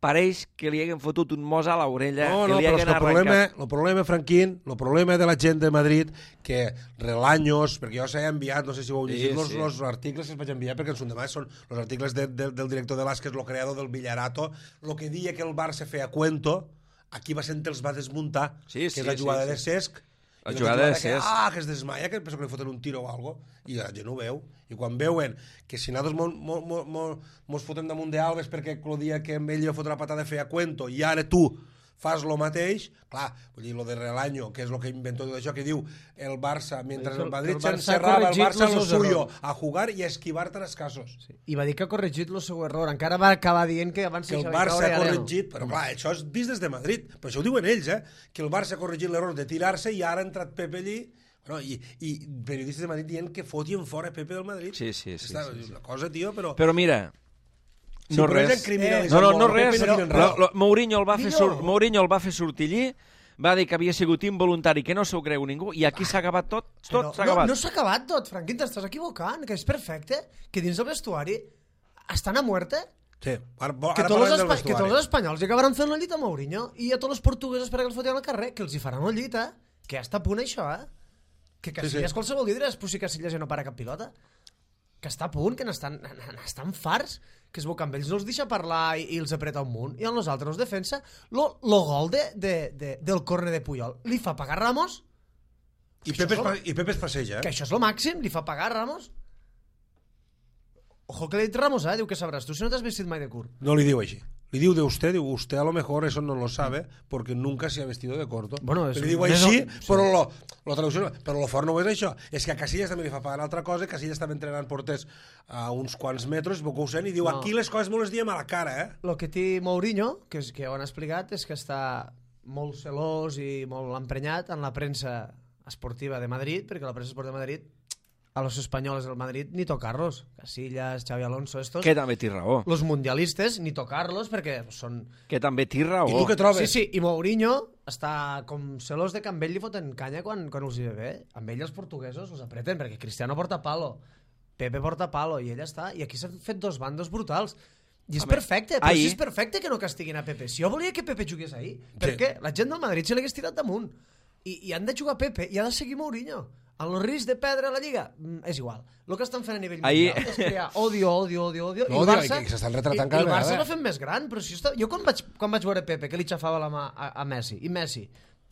pareix que li haguem fotut un mos a l'orella, que li haguem arrencat. El problema, Franquín, el problema de la gent de Madrid, que Relaños, perquè jo s'he enviat, no sé si ho heu llegit, els articles que es vaig enviar, perquè en son demà són els articles del director de l'AS, que és el creador del Villarato, el que deia que el Barça feia cuento, aquí va ser els va desmuntar, que és la jugada de Cesc, la jugada de Cesc. Que es desmaia, que penso que li foten un tiro o algo, i la gent ho veu. I quan veuen que si nosaltres mos fotem damunt d'Alves perquè el dia que amb ell li va fotre la patada feia cuento i ara tu fas lo mateix, clar, vull dir, lo de Relaño, que és lo que inventó tot això, que diu el Barça, mentre el Madrid s'encerrava, el Barça lo suyo, a jugar i a esquivar-te els casos. Sí. I va dir que ha corregit el seu error, encara va acabar dient que abans que el Barça ha corregit, però clar, això és vist des de Madrid, però això ho diuen ells, que el Barça ha corregit l'error de tirar-se i ara ha entrat Pepe allí, bueno, i periodistes de Madrid dient que fotien fora Pepe del Madrid. Sí. Una cosa, tio, però... Però mira... No res. No res. Mourinho el va fer sortir allí, va dir que havia sigut involuntari, que no s'ho creu ningú, i aquí s'ha acabat tot s'ha acabat. No s'ha acabat tot, Franquín, t'estàs equivocant, que és perfecte, que dins del vestuari estan a muerte. Sí, que tots els espanyols acabaran fent la llit a Mourinho i a tots els portuguesos per que els fotien al carrer, que els hi faran la llit, que ja està a punt això, que Casillas qualsevol dia diràs si Casillas ja no para cap pilota, que està a punt, que n'estan farts, que es veu que amb ells no els deixa parlar i els apreta un munt, i a nosaltres els defensa lo gol del córner de Puyol li fa pagar Ramos i Pepe es passeja, que això és lo màxim, li fa pagar Ramos. Ojo que li ha dit Ramos, diu que sabràs tu si no t'has vestit mai de curt. No li diu així, li diu de usted a lo mejor eso no lo sabe porque nunca se ha vestido de corto. Bueno, li diu així, però la traducció, però lo fort no és això, és que a Casillas també li fa pagar altra cosa. Casillas estava entrenant porters a uns quants metres, i diu aquí les coses me les diem a la cara, Lo que té Mourinho, que ho han explicat, és que està molt celós i molt emprenyat en la premsa esportiva de Madrid, perquè la premsa esportiva de Madrid a los españoles del Madrid ni tocarlos. Casillas, Xavi Alonso, estos... Que també té raó. Los mundialistes ni tocarlos perquè són... Que també té raó. I tu què trobes? Sí, i Mourinho està com celós de que amb ell li foten canya quan els hi ve bé. Amb ell els portuguesos els apreten perquè Cristiano porta palo, Pepe porta palo i ell està. I aquí s'han fet dos bandos brutals. I és perfecte, però si és perfecte que no castiguin a Pepe. Si jo volia que Pepe jugués ahir, perquè la gent del Madrid se l'hagués tirat damunt. I han de jugar Pepe i ha de seguir Mourinho. En el risc de perdre la Lliga, és igual. El que estan fent a nivell mundial és crear odio. I el Barça l'ha fet més gran. Però si jo quan vaig veure Pepe, que li xafava la mà a Messi, i Messi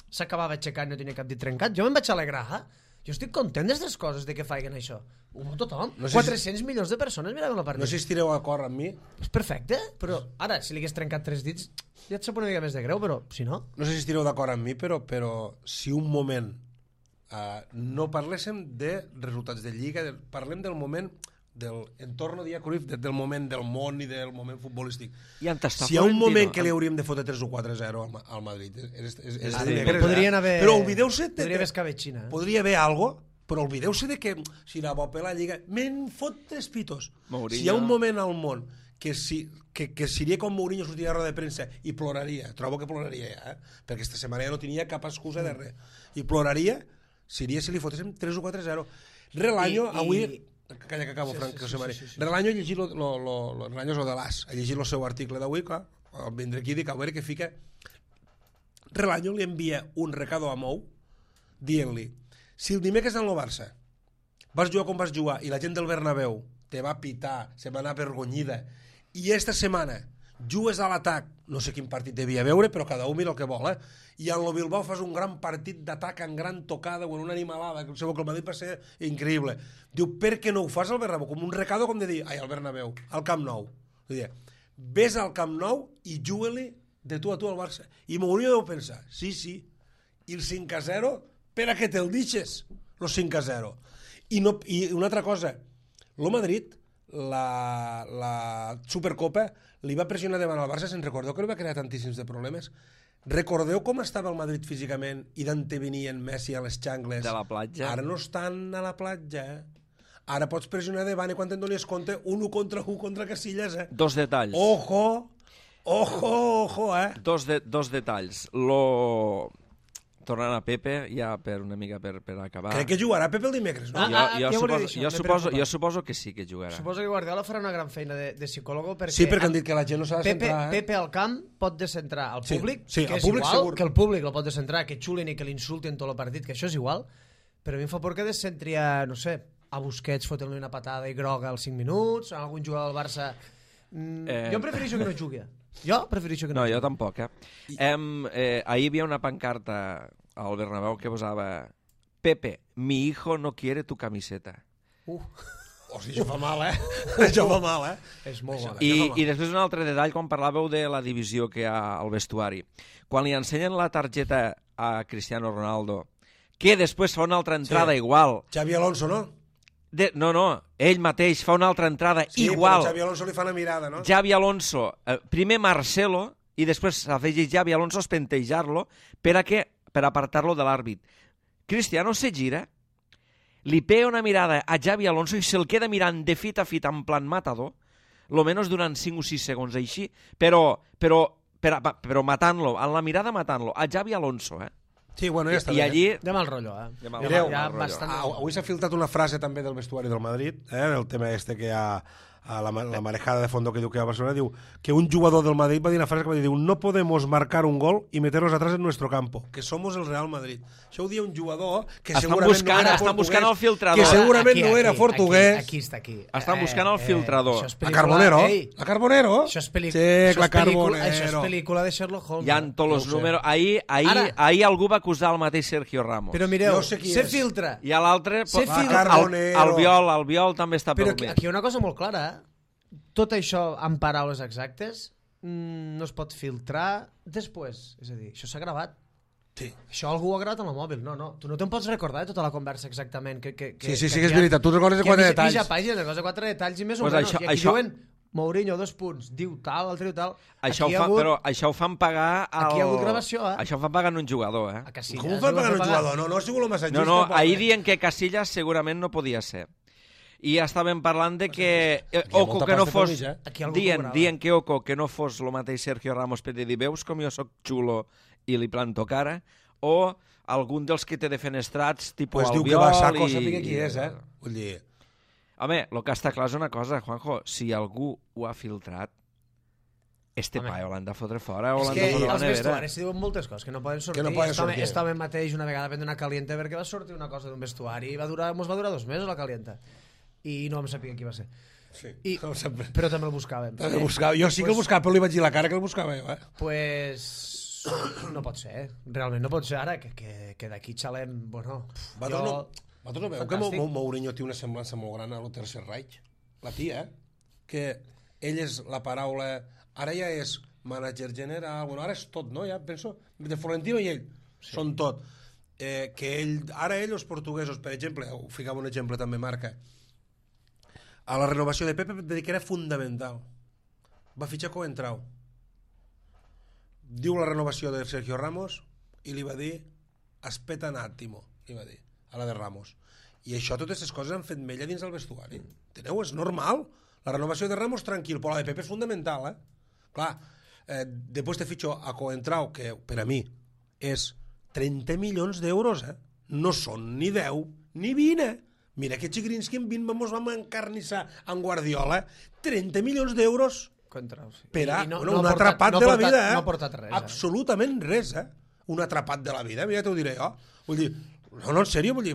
s'acabava aixecant i no tenia cap dit trencat, jo me'n vaig alegrar. Jo estic content d'aquestes coses de que facin això. Ho veu tothom. 400 milions de persones miraven la partida. No sé si estireu d'acord amb mi. És perfecte, però ara, si li hagués trencat 3 dits, ja et sap una mica més de greu, però si no... No sé si estireu d'acord amb mi, però si un moment no parléssim de resultats de Lliga, parlem del moment del entorn de Cruyff, del moment del món i del moment futbolístic. Si hi ha un moment que li hauríem de fotre 3 o 4-0 al Madrid, podrien haver... Però oblideu-se... Podria haver escabetxina. Podria haver algo, però oblideu-se de que si la Bope la Lliga... Me'n fot 3 pitos. Si hi ha un moment al món que seria com Mourinho sortiria a roda de premsa i ploraria, trobo que ploraria ja, perquè aquesta setmana ja no tenia cap excusa de res, i ploraria seria si li fotéssim 3 o 4-0. Relaño, avui... Calla que acabo, Frank, que Relaño ha llegit Relaño és el de l'As, ha llegit el seu article d'avui, clar, al vindre aquí dic a veure què fica. Relaño li envia un recado a Mou dient-li, si el dimecres en el Barça vas jugar com vas jugar i la gent del Bernabéu te va pitar, se va anar avergonyida, i esta setmana jugues a l'atac, no sé quin partit devia veure, però cada un mira el que vol, i en el Bilbao fas un gran partit d'atac en gran tocada o en una animalada, que el Madrid va ser increïble. Diu, per què no ho fas al Bernabéu? Com un recado, com de dir, al Bernabéu, al Camp Nou. Dir, ves al Camp Nou i juga-li de tu a tu al Barça. I Mourinho deu pensar, sí, i el 5-0, per a què te'l deixes, el 5-0. I una altra cosa, el Madrid, la Supercopa, li va pressionar davant al Barça, se'n recordeu que li va crear tantíssims de problemes? Recordeu com estava el Madrid físicament i d'on venien Messi a les xangles? De la platja. Ara no estan a la platja, Ara pots pressionar davant i quan te'n donies compte, 1 contra Casillas, Dos detalls. Ojo, Dos detalls. Tornant a Pepe, ja per una mica per acabar. Crec que jugarà Pepe el dimecres, no? Jo suposo que sí que jugarà. Suposo que Guardiola farà una gran feina de psicòlogo perquè... Sí, perquè han dit que la gent no s'ha de centrar. Pepe al camp pot descentrar al públic, sí, que és públic igual, segur. que el públic el pot descentrar, que xulen i que l'insultin tot el partit, que això és igual, però a mi em fa por que descentri a, no sé, a Busquets fotent-li una patada i groga als 5 minuts, a algun jugador del Barça... Jo prefereixo que no jugui. Jo prefereixo que no jugui. Jo tampoc, ahir hi havia una pancarta al Bernabéu que posava Pepe, mi hijo no quiere tu camiseta. Hosti, això fa mal, Això fa mal, És molt bona. I després un altre detall, quan parlàveu de la divisió que hi ha al vestuari. Quan li ensenyen la targeta a Cristiano Ronaldo, que després fa una altra entrada igual... Xavi Alonso, no? No, ell mateix fa una altra entrada igual. Sí, Xavi Alonso li fa una mirada, no? Xavi Alonso, primer Marcelo, i després s'afegeix Xavi Alonso a espentejar-lo per apartar-lo de l'àrbit. Cristiano se gira, li pega una mirada a Xavi Alonso i se'l queda mirant de fit a fit en plan matador, lo menos durant 5 o 6 segons així, però matant-lo, en la mirada matant-lo, a Xavi Alonso, Sí, bueno, ja està I bé. allí... De mal rotllo, Mireu, bastant... avui s'ha filtrat una frase també del vestuari del Madrid, del tema este que hi ha a la marejada de fondo que diu que hi ha a Barcelona, diu que un jugador del Madrid va dir una frase que va dir, no podemos marcar un gol y meterlos atrás en nuestro campo, que somos el Real Madrid. Això ho dia un jugador que segurament no era portuguès. Estan buscant el filtrador. Que segurament no era portuguès. Aquí està, aquí. Estan buscant el filtrador. A Carbonero? A Carbonero? Això és pel·lícula de Sherlock Holmes. Hi ha tots els números. Ahir algú va acusar el mateix Sergio Ramos. Però mireu, se filtra. I l'altre... El Biol també està pel mig. Però aquí hi ha una cosa molt clara. Tot això, en paraules exactes, no es pot filtrar després. És a dir, això s'ha gravat. Sí. Això algú ho ha gravat amb el mòbil. No, tu no te'n pots recordar de tota la conversa exactament. Sí, és veritat. Tu recordes de 4 detalls. Mitja pàgina, recordes de 4 detalls i més o menys. I aquí diuen Mourinho, 2 punts, diu tal, l'altre diu tal. Però això ho fan pagar... Aquí hi ha hagut gravació, Això ho fan pagar en un jugador, Com ho fan pagar en un jugador? No ha sigut el massatgista. No, ahir dient que Casillas segurament no podia ser. I estàvem parlant de que Oco que no fos... Dient que Oco que no fos el mateix Sergio Ramos per dir, veus com jo soc xulo i li planto cara? O algun dels que té defenestrats, tipus Albiol... Pues diu que va a saco, sàpiga qui és, Vull dir... Home, el que està clar és una cosa, Juanjo, si algú ho ha filtrat, paio l'han de fotre fora o l'han de fotre a la nevera. Els vestuaris s'hi diuen moltes coses, que no poden sortir. Este home mateix una vegada prendre una caliente perquè va sortir una cosa d'un vestuari i mos va durar 2 mesos la calienta. I no em sabia qui va ser. Sí, però també el buscàvem. Jo sí que el buscava, però li vaig dir la cara que el buscava jo. Pues no pot ser, realment no pot ser ara, que d'aquí xalem, bueno... Vosaltres no veu que Mourinho té una semblança molt gran a lo Tercer Reich? La tia, que ell és la paraula... Ara ja és mànager general, bueno, ara és tot, no? Ja penso, de Florentino i ell, són tot. Que ara els portuguesos, per exemple, ho ficava un exemple també, Marca, a la renovació de Pepe va dir que era fundamental. Va fitxar Coentrao. Diu la renovació de Sergio Ramos i li va dir aspetta un attimo, li va dir, a la de Ramos. I això, totes aquestes coses han fet mella dins del vestuari. Enteneu? És normal. La renovació de Ramos, tranquil, però la de Pepe és fundamental, Clar, després te fitxo a Coentrao, que per a mi és 30 milions d'euros, No són ni 10 ni 20, Mira que Chigrinsky en 20 ens vam encarnissar amb Guardiola. 30 milions d'euros per a un atrapat de la vida. No ha portat res. Absolutament res, Un atrapat de la vida, mira, t'ho diré jo. Vull dir, no, en sèrio, vull dir,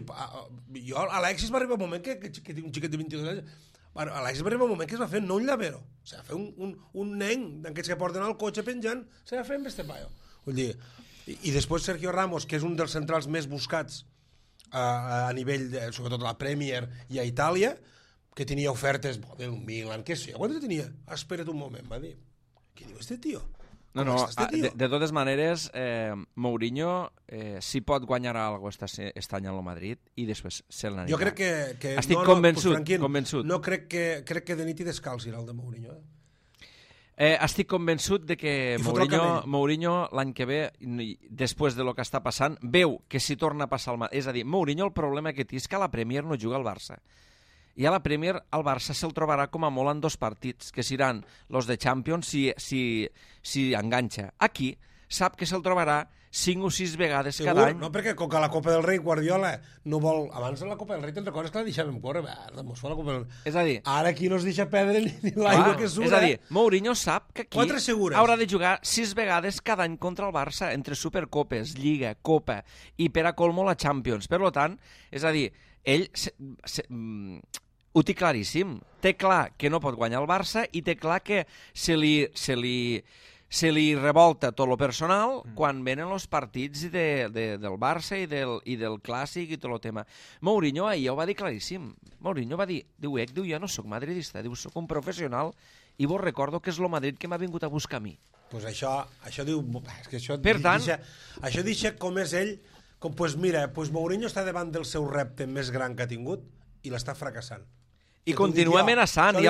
jo, Alexis va arribar un moment que tinc un xiquet de 22 anys, L'Alexis va arribar un moment que es va fer no un llavero, se va fer un nen d'aquests que porten al cotxe penjant, se va fer amb este paio. Vull dir, i després Sergio Ramos, que és un dels centrals més buscats a nivell, sobretot a la Premier i a Itàlia, que tenia ofertes del Milan, què sé, quantes tenia? Espera't un moment, va dir. Què diu este tio? No, de totes maneres, Mourinho sí pot guanyar algo aquest any al Madrid i després se'l n'anirà. Jo crec que estic convençut. No crec que de nit i descalç irà el de Mourinho. Estic convençut de que Mourinho l'any que ve, després de lo que està passant, veu que si torna a passar el Madrid. És a dir, Mourinho el problema que té és que a la Premier no juga al Barça. I a la Premier el Barça se'l trobarà com a molt en 2 partits, que seran els de Champions si enganxa. Aquí sap que se'l trobarà 5 o 6 vegades cada any. No, perquè com que a la Copa del Rei Guardiola no vol... Abans de la Copa del Rei te'n recordes que la deixàvem córrer? Mos fa la Copa del Rei. És a dir... Ara aquí no es deixa perdre ni l'aigua que surt. És a dir, Mourinho sap que aquí 4 segures. Haurà de jugar 6 vegades cada any contra el Barça, entre Supercopes, Lliga, Copa i per a colmo la Champions. Per tant, és a dir, ell ho té claríssim. Té clar que no pot guanyar el Barça i té clar que se li revolta tot lo personal quan venen els partits del Barça i del Clàssic i tot el tema. Mourinho ahir ho va dir claríssim. Mourinho va dir, diu, jo no sóc madridista, diu, sóc un professional i vos recordo que és lo Madrid que m'ha vingut a buscar a mi. Pues això diu... És que això per tant... Això deixa com és ell, com, pues mira, pues Mourinho està davant del seu repte més gran que ha tingut i l'està fracassant. I continua amenaçant, i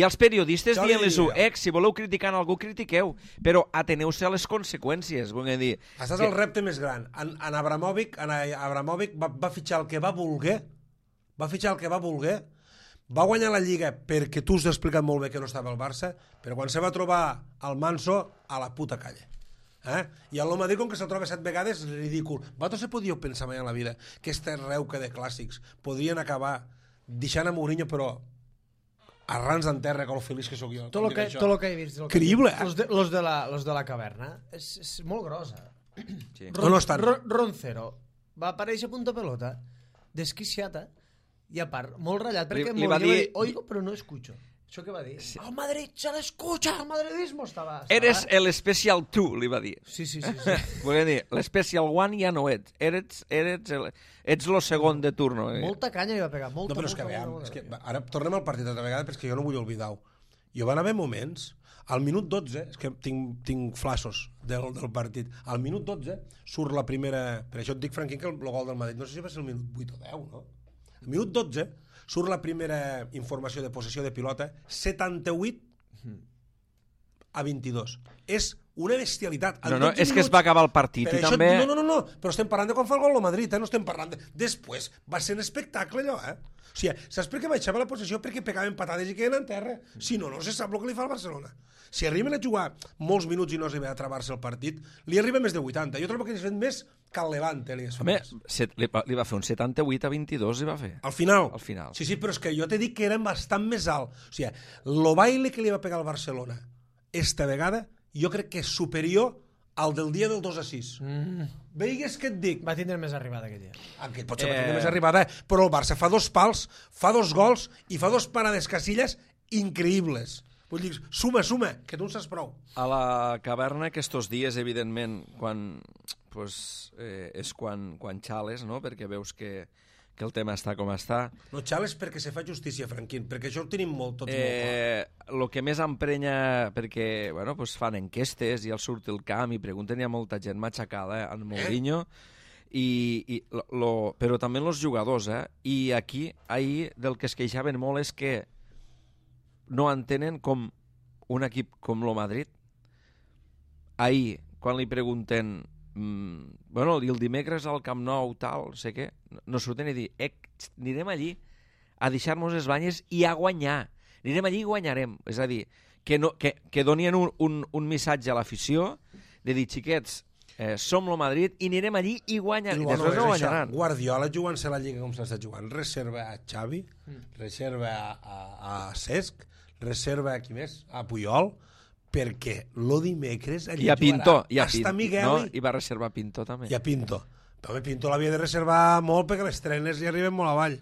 els periodistes dient-les si voleu criticar algú, critiqueu, però ateneu-se a les conseqüències, vull dir. Estàs al repte més gran. En Abramovic va fitxar el que va voler, va guanyar la Lliga perquè tu has explicat molt bé que no estava al Barça, però quan se va trobar al Manso, a la puta calle. I el Madrid, com que se'l troba 7 vegades, és ridícul. Vosaltres se podíeu pensar mai en la vida que este reuca de clàssics podrien acabar deixant a Mourinho, però arrans d'enterra, com el feliç que sóc jo. Tot el que he vist. Creïble, Los de la caverna. És molt grossa. Sí. Roncero va aparèixer a punta pelota, desquiciata, i a part, molt ratllat, perquè li va dir... oigo, però no escucho. Això què va dir? Sí. El Madrid se l'escucha, el madridismo estava... Eres el Special 2, li va dir. Sí. Volia dir, l'Special 1 ja no ets. Ets lo segon de turno. Molta canya li va pegar, molta. No, però és que veiem, ara tornem al partit altra vegada perquè jo no vull oblidar-ho. Jo van haver moments, al minut 12, és que tinc flashes del partit, al minut 12 surt la primera... Per això et dic, Franquín, que el gol del Madrid, no sé si va ser el minut 8 o 10, no? Al minut 12 surt la primera informació de possessió de pilota, 78 a 22. És una bestialitat. No, és que es va acabar el partit i també... No, però estem parlant de quan fa el gol el Madrid, no estem parlant de... Després va ser un espectacle allò, O sigui, saps per què baixava la possessió? Perquè pegaven patades i queden en terra. Si no se sap el que li fa al Barcelona. Si arriben a jugar molts minuts i no arriba a travar-se el partit, li arriba més de 80. Jo trobo que li has fet més que el Levante. Home, li va fer un 78 a 22, li va fer. Al final? Al final. Sí, però és que jo t'he dit que era bastant més alt. O sigui, el baile que li va pegar al Barcelona esta vegada, jo crec que és superior al del dia del 2-6. Veigues què et dic? Va tindre més arribada aquell dia. Aquest potser va tindre més arribada, però el Barça fa 2 pals, fa 2 gols i fa 2 parades casilles increïbles. Vull dir, suma, que tu en saps prou. A la caverna aquests dies, evidentment, és quan xales, no? Perquè veus que el tema està com està. No xales perquè se fa justícia, Franquín, perquè això ho tenim tots molt clar. El que més emprenya, perquè fan enquestes i al surt el camp i pregunten, hi ha molta gent matxacada en Mourinho, però també els jugadors, i aquí, ahir, del que es queixaven molt és que no entenen com un equip com el Madrid, ahir, quan li pregunten i el dimecres al Camp Nou tal, sé què, no surten i dir anirem allí a deixar-nos les banyes i a guanyar, anirem allí i guanyarem, és a dir, que donien un missatge a l'afició de dir, xiquets, som el Madrid i anirem allí i guanyarem, després no guanyaran. Guardiola jugant-se la Lliga com s'està jugant, reserva a Xavi, reserva a Cesc, reserva a qui més? A Puyol, perquè lo dimecres allà jugarà Miguel. No, i va reservar Pinto també. I a Pinto. Però Pinto l'havia de reservar molt perquè les trenes li arriben molt avall.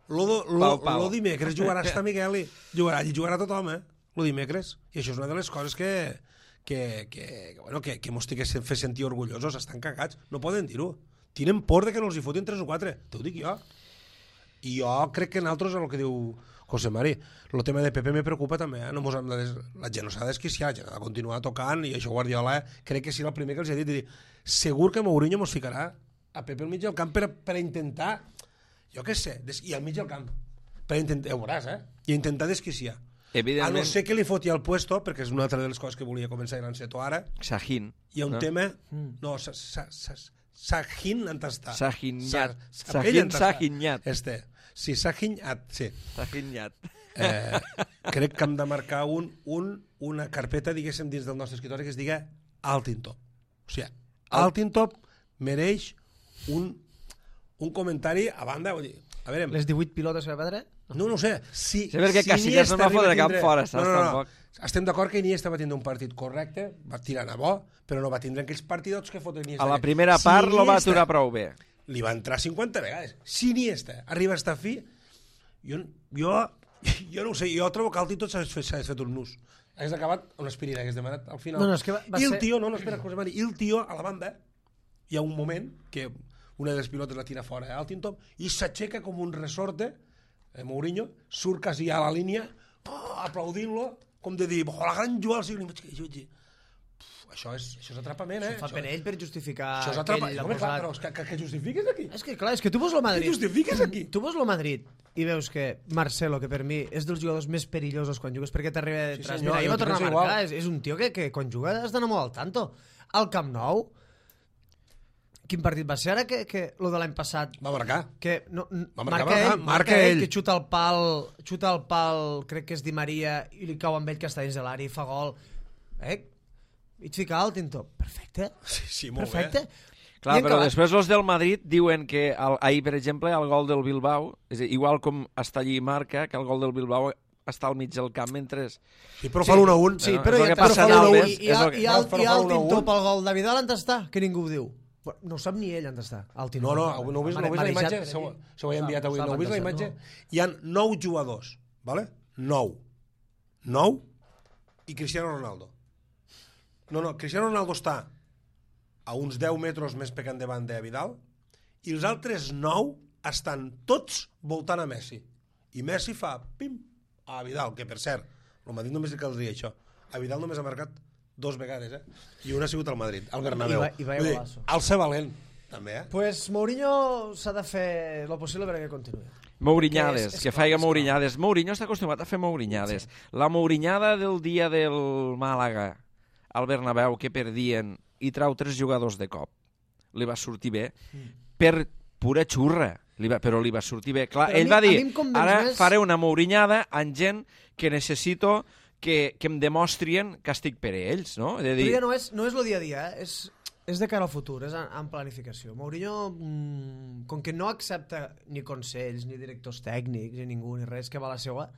Lo dimecres jugarà hasta Migueli. Jugarà tothom, lo dimecres. I això és una de les coses que mos té que fer sentir orgullosos. Estan cagats. No poden dir-ho. Tenen por de que no els hi fotin 3 o 4. T'ho dic jo. I jo crec que en altres, el que diu José Mari, el tema de Pepe me preocupa també. No mos hem de la gent no s'ha d'esquiciar, la gent ha de continuar tocant, i això Guardiola crec que serà el primer que els ha dit, de dir, segur que Mourinho mos ficarà a Pepe al mig del camp per intentar, jo què sé, i al mig del camp, per intentar, ho veuràs, i intentar desquiciar. A no ser que li foti al puesto, perquè és una altra de les coses que volia començar a l'enceto ara. Sahin. Hi ha un tema... No, Sahin en està. Sahinyat. Sí, Sahinyat, sí. Sahinyat. Crec que hem de marcar una carpeta, diguéssim, dins del nostre escritori que es diga Altintop. O sigui, Altintop mereix un comentari a banda, vull dir, a veure... Les 18 pilotes que va perdre? No ho sé. Sí, perquè Casillas no va fotre cap fora, saps, tampoc. Estem d'acord que Iniesta va tindre un partit correcte, va tirar a bo, però no va tindre aquells partidots que fotre Iniesta. A la primera part lo va aturar prou bé. Li va entrar 50 vegades. Si Iniesta arriba a estar fi, jo no ho sé, jo trobo que el títol s'ha fet un nus. Has acabat una aspirina que has demanat al final. No, és que va I el ser... tio, espera, José Mari, i el tio a la banda, hi ha un moment que una de les pilotes la tira fora, Altintop, i s'aixeca com un resorte, Mourinho, surt quasi a la línia, aplaudint-lo, com de dir, la gran jugada del segle. Això és atrapament, Això fa per ell per justificar... Això és atrapament. Home, clar, però que justifiques aquí. És que, clar, és que tu veus el Madrid... Què justifiques aquí? Tu veus el Madrid i veus que Marcelo, que per mi és dels jugadors més perillosos quan jugues perquè t'arriba de detrás. Mira, ahir va tornar a marcar, és un tio que quan juga has d'anar molt al tanto. Al Camp Nou, quin partit va ser ara que lo de l'any passat? Va marcar. Que no, marca ell. Que xuta el pal, crec que és Di Maria, i li cau amb ell que està dins de l'àrea i fa gol. I et fica Altintop. Perfecte. Sí, molt perfecte. bé. Clar, però després els del Madrid diuen que ahir, per exemple, el gol del Bilbao, és igual com està allí marca, que el gol del Bilbao està al mig del camp mentre... Sí, però fa l'1-1. Sí, però és el que passa en Alves. I Altintop al gol de Vidal on està? Que ningú ho diu. No ho sap ni ell on està. No heu vist la imatge? Se ho he enviat avui. No heu vist la imatge? Hi ha 9 jugadors, ¿vale? 9 i Cristiano Ronaldo. No, Cristiano Ronaldo està a uns 10 metres més pecant davant de Vidal i els altres 9 estan tots voltant a Messi. I Messi fa pim a Vidal, que per cert, el Madrid només li caldria això. A Vidal només ha marcat 2 vegades, i una ha sigut al Madrid, al Bernabéu. I va golazo. Al ser valent, també, Pues Mourinho s'ha de fer lo possible perquè continuï. Mourinyades, que faig mourinyades. Mourinho està acostumat a fer mourinyades. Sí. La mourinyada del dia del Màlaga al Bernabéu, que perdien, i trau 3 jugadors de cop. Li va sortir bé. Per pura xurra, però li va sortir bé. Clar, ell va dir, ara faré una mourinyada amb gent que necessito que em demostrien que estic per ells, no? Però ja no és el dia a dia, és de cara al futur, és en planificació. Mourinho, com que no accepta ni consells, ni directors tècnics, ni ningú, ni res que va a la seva,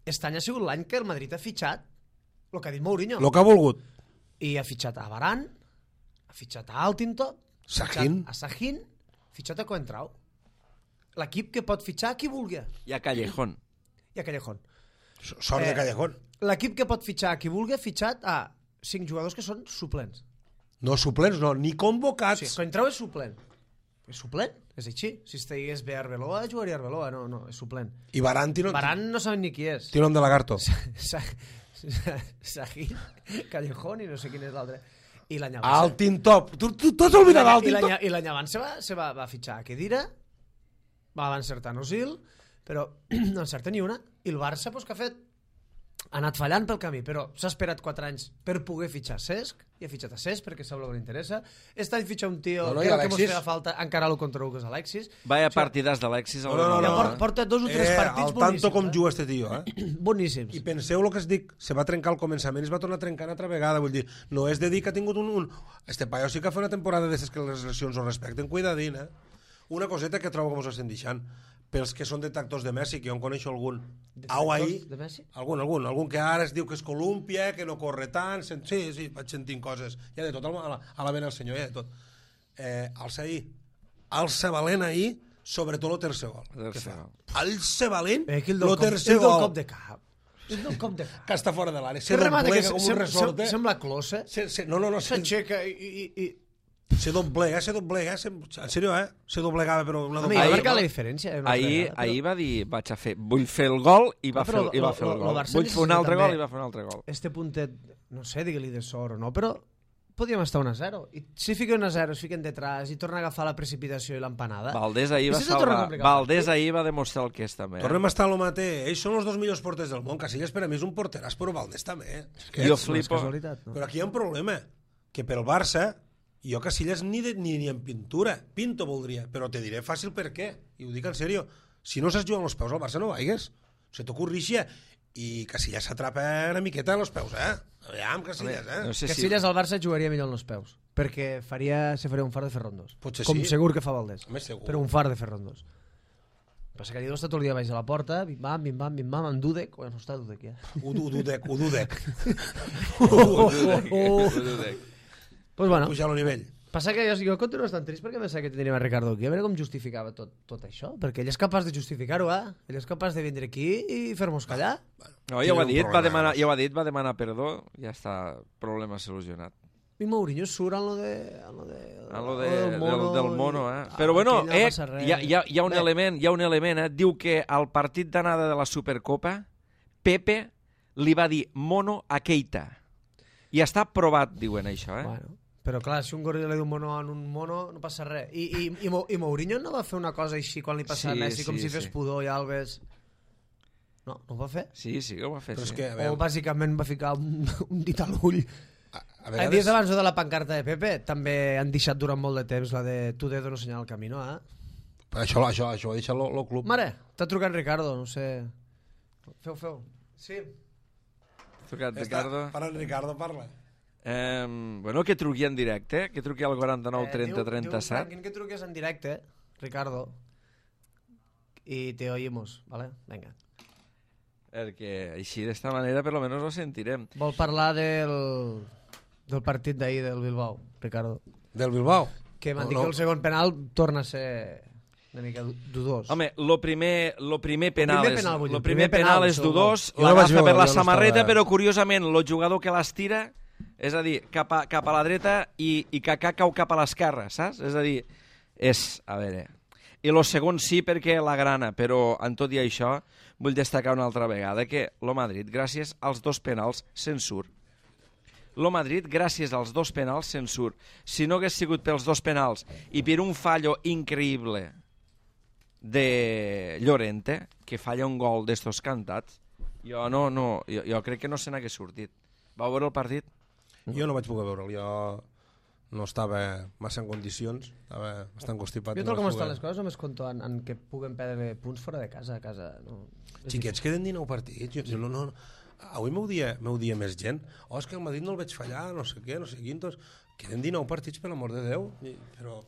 aquest any ha sigut l'any que el Madrid ha fitxat el que ha dit Mourinho. El que ha volgut. I ha fitxat a Varane, ha fitxat a Altintop, a Sahin, ha fitxat a Coentrao. L'equip que pot fitxar qui vulgui. I a Callejón. Sort de Callejón. L'equip que pot fitxar qui vulgui ha fitxat a 5 jugadors que són suplents. No suplents, no, ni convocats. Sí, Coentrao és suplent. És suplent, és així. Si estigués bé Arbeloa, jugaria Arbeloa, no, és suplent. I Varane no saben ni qui és. Té nom de lagarto. Sahin, Callejón i no sé quin és l'altre. I l'any abans... Altintop. Tu t'has oblidat d'Altintop? I l'any abans se va fitxar a Kedira, va encertar Nosil, però no encerta ni una. I el Barça, que ha fet? Ha anat fallant pel camí, però s'ha esperat 4 anys per poder fitxar Cesc, i ha fitxat a Cesc perquè sap el que li interessa. Aquest any fitxa un tio que el que mos feia falta encara lo contra que és Alexis. Vaya partidàs d'Alexis. Porta 2 o 3 partits boníssims. Al tanto com juga este tio, Boníssims. I penseu el que es dic, se va trencar al començament i es va tornar a trencar una altra vegada, vull dir, no és de dir que ha tingut un... Este paio sí que fa una temporada d'estes que les lesions ho respecten, cuidadín, Una coseta que trobo que mos estem deixant. Pels que són detractors de Messi, que jo en coneixo algun. Detractors de Messi? Algun que ara es diu que és Colúmpia, que no corre tant, sí, vaig sentint coses. Hi ha de tot, a la vena el senyor, hi ha de tot. Alça valent ahir, sobretot el tercer gol. El que tercer fa. gol. El ser valent, El el tercer del gol, cop de cap. El del cop de cap. que està fora de l'àrea. Que Se remata que doblega com un resort, sembla closa. No, S'aixeca i... se doblega, en sèrio, se doblegava, però una Home, ja doblegada. marca la diferència. Ahir va dir, vaig a fer, vull fer el gol i va fer el gol. Barça Vull fer un altre també gol i va fer un altre gol. Este puntet, no sé, digue-li de sort o no, però podíem estar 1-0. I si fiquen 1-0, es fiquen detrás i torna a agafar la precipitació i l'empanada. Valdés ahir va I si se torna salvar. complicat. Valdés ahir va demostrar el que és també. Tornem a estar a lo mateix. Ells són els dos millors porters del món. Casillas per a mi és un porteràs, però Valdés també. És que Jo és- No és flipo. casualitat, no? Però aquí hi ha un problema, que pel Barça, jo Casillas ni en pintura, Pinto voldria, però te diré fàcil per què, i ho dic en sèrio. Si no saps jugar amb els peus al Barça no vaigues, se t'ocorrixa, i Casillas s'atrapa una miqueta amb els peus, Aviam, Casillas, No sé si... Casillas al Barça jugaria millor en els peus, perquè se faria un far de fer rondos. Potser Com sí. segur que fa Valdés. Home, segur. Però un far de fer rondos. Passa que allò està tot el dia baix de la porta, bim-bam, amb Dudek, no està Dudek ja. Ududec. Pues bueno, Pujar el nivell. passa que jo continuo estant trist perquè pensava que tindríem a Ricardo aquí, a veure com justificava tot això, perquè ell és capaç de justificar-ho, Ell és capaç de vindre aquí i fer-nos callar. No, ja ho ha Tiene un dit, problema. ja ho ha dit, va demanar perdó, ja està, problema solucionat. I Mourinho surt en lo de... Del mono, Però bueno, aquí no passa res. hi ha un element, diu que al partit d'anada de la Supercopa, Pepe li va dir mono a Keita. I està provat, diuen això, Bueno, però clar, si un goril li diu mono en un mono, no passa res. I Mourinho no va fer una cosa així quan li passa a Sí, Messi, com sí, si fes sí. pudor i Alves... No ho va fer. Sí, que ho va fer, Però és sí. que, a O veure, bàsicament va ficar un dit a l'ull. a Dies vegades... abans de la pancarta de Pepe també han deixat durant molt de temps la de tu dedo no senyal el camí, no? Això ho ha deixat el club. Mare, t'ha trucat Ricardo, no sé... Feu. Sí. Trucat, Ja està, Ricardo. para el Ricardo, parla. Bueno, que truqui en directe, que truqui al 49 30 Diu 37. Franklin que truques en directe, Ricardo, y te oímos, ¿vale? Venga. Perquè així, d'esta manera, per lo menos lo sentirem. Vol parlar del partit d'ahir del Bilbao, Ricardo. Del Bilbao. Que m'han dit que el segon penal torna a ser una mica dudós. Home, lo primer penal, el primer penal és és dudós, Jo no vaig l'agafa veure, per la jo no samarreta, estava- però curiosament, el jugador que l'estira, és a dir, cap a la dreta i Kaká cau cap a l'esquerra, saps? És a dir, a veure... I lo segon sí perquè la grana, però en tot i això vull destacar una altra vegada que lo Madrid, gràcies als dos penals, se'n surt. Lo Madrid, gràcies als dos penals, se'n surt. Si no hagués sigut pels dos penals i per un fallo increïble de Llorente, que falla un gol d'estos cantats, jo crec que no se n'hagués sortit. Va veure el partit? Jo no vaig poder veure'l, jo no estava massa en condicions, estava bastant constipat. Jo no tal com vaig estan poder. les coses només compto en que puguen perdre punts fora de casa. No. Xiquets, queden 19 partits. No. Avui m'ho dia més gent. És que el Madrid no el veig fallar, no sé què, no sé quintos. Queden 19 partits, per l'amor de Déu.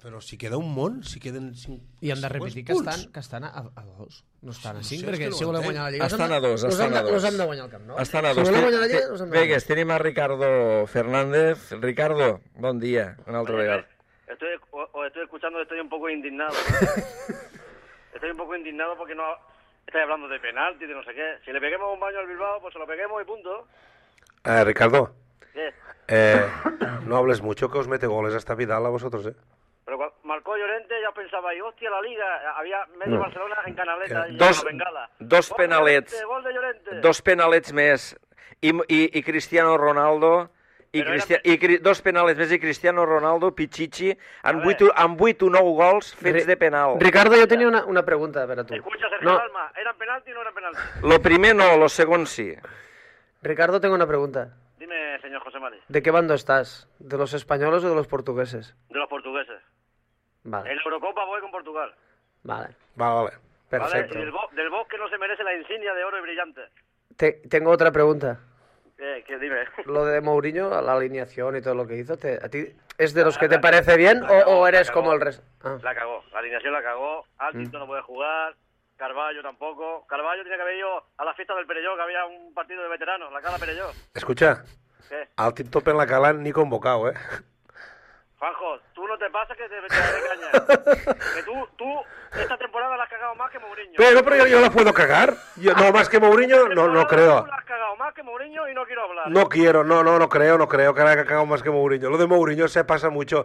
Però si queda un món, si queden 5... I hem de repetir que estan a 2, no estan a 5, Sí, és perquè que no si ho volem entenc. guanyar la Lliga... Estan a 2, estan a 2. Los hem de guanyar al Camp Nou. Estan a Si dos. volem guanyar la Lliga, los hem de Vegas, guanyar. tenim a Ricardo Fernández. Ricardo, bon dia, una altra vegada. Os estoy escuchando, estoy un poco indignado. ¿no? Estoy un poco indignado porque no estáis hablando de penalti, de no sé qué. Si le peguemos un baño al Bilbao, pues se lo peguemos y punto. Ricardo, ¿Qué? no hables mucho, que os mete goles hasta Vidal a vosotros, Pero cuando marcó Llorente ya pensaba, y hostia, la Liga, había medio Barcelona en Canaleta y Dos- en la Bengala. dos Gol de penalets. Llorente, Gol de Llorente. Dos penalets més i Cristiano Ronaldo dos penalets més i Cristiano Ronaldo, Pichichi, amb 8 o 9 gols fets de penal. Ricardo, yo tenía una pregunta para tú. Escucha, Sergio Dalma, ¿eran penalti o no eran penalti? Lo primer no, lo segon sí. Ricardo, tengo una pregunta. Dime, señor José Mari, ¿De qué bando estás? ¿De los españoles o de los portugueses? de los portugueses. Vale, En la Eurocopa voy con Portugal. vale. Vale. Perfecto. ¿Vale? Y del Bosque no se merece la insignia de oro y brillante. Tengo otra pregunta. ¿Qué dime? Lo de Mourinho, la alineación y todo lo que hizo, ¿a ti es de los que te parece bien o eres como el resto? Ah. La cagó, la alineación la cagó, Altinto no puede jugar, Carballo tampoco. Carballo tenía que haber ido a la fiesta del Perelló, que había un partido de veteranos, la Cala Perelló. Escucha, ¿Qué? al tip top en la cala ni convocado, Juanjo, tú no te pasas que te daré caña. Que tú esta temporada la has cagado más que Mourinho. Pero yo la puedo cagar. No, más que Mourinho, no creo. Tú la has cagado más que Mourinho y no quiero hablar. No creo que la haya cagado más que Mourinho. Lo de Mourinho se pasa mucho.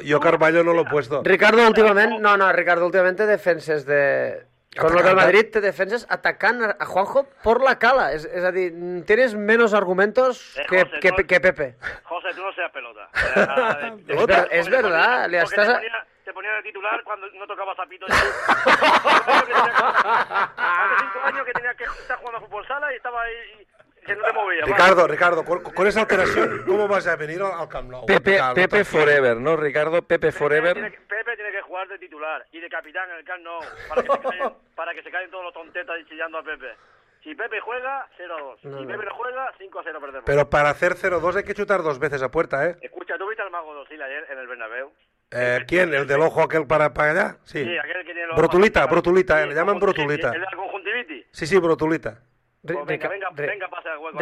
Yo Carvalho no lo he puesto. Ricardo, últimament té defenses de... Con lo del Madrid te defenses atacant a Juanjo por la cala. Es decir, tienes menos argumentos que Pepe. José, tú no seas pelota. Es verdad. Te ponía de titular cuando no tocaba zapito. Hace 5 años que tenía que estar jugando a fútbol sala y estaba ahí... Que no te movía. Ricardo, con esa alteración, ¿cómo vas a venir al Camp Nou? Pepe Forever, ¿no, Ricardo? Pepe Forever. Pepe tiene que jugar de titular y de capitán en el Camp Nou para que se callen todos los tontetas y chillando a Pepe. Si Pepe juega, 0-2. Si Pepe no juega, 5-0 perdemos. Pero para hacer 0-2 hay que chutar 2 veces a puerta, ¿eh? Escucha, ¿tú viste al Mago Dosil ayer en el Bernabéu? ¿Quién? ¿El del ojo aquel para allá? Sí, aquel que tiene los Brotulita, sí, le llaman Brotulita. ¿El de la conjuntivitis? Sí, Brotulita. Pues venga, pasa el hueco.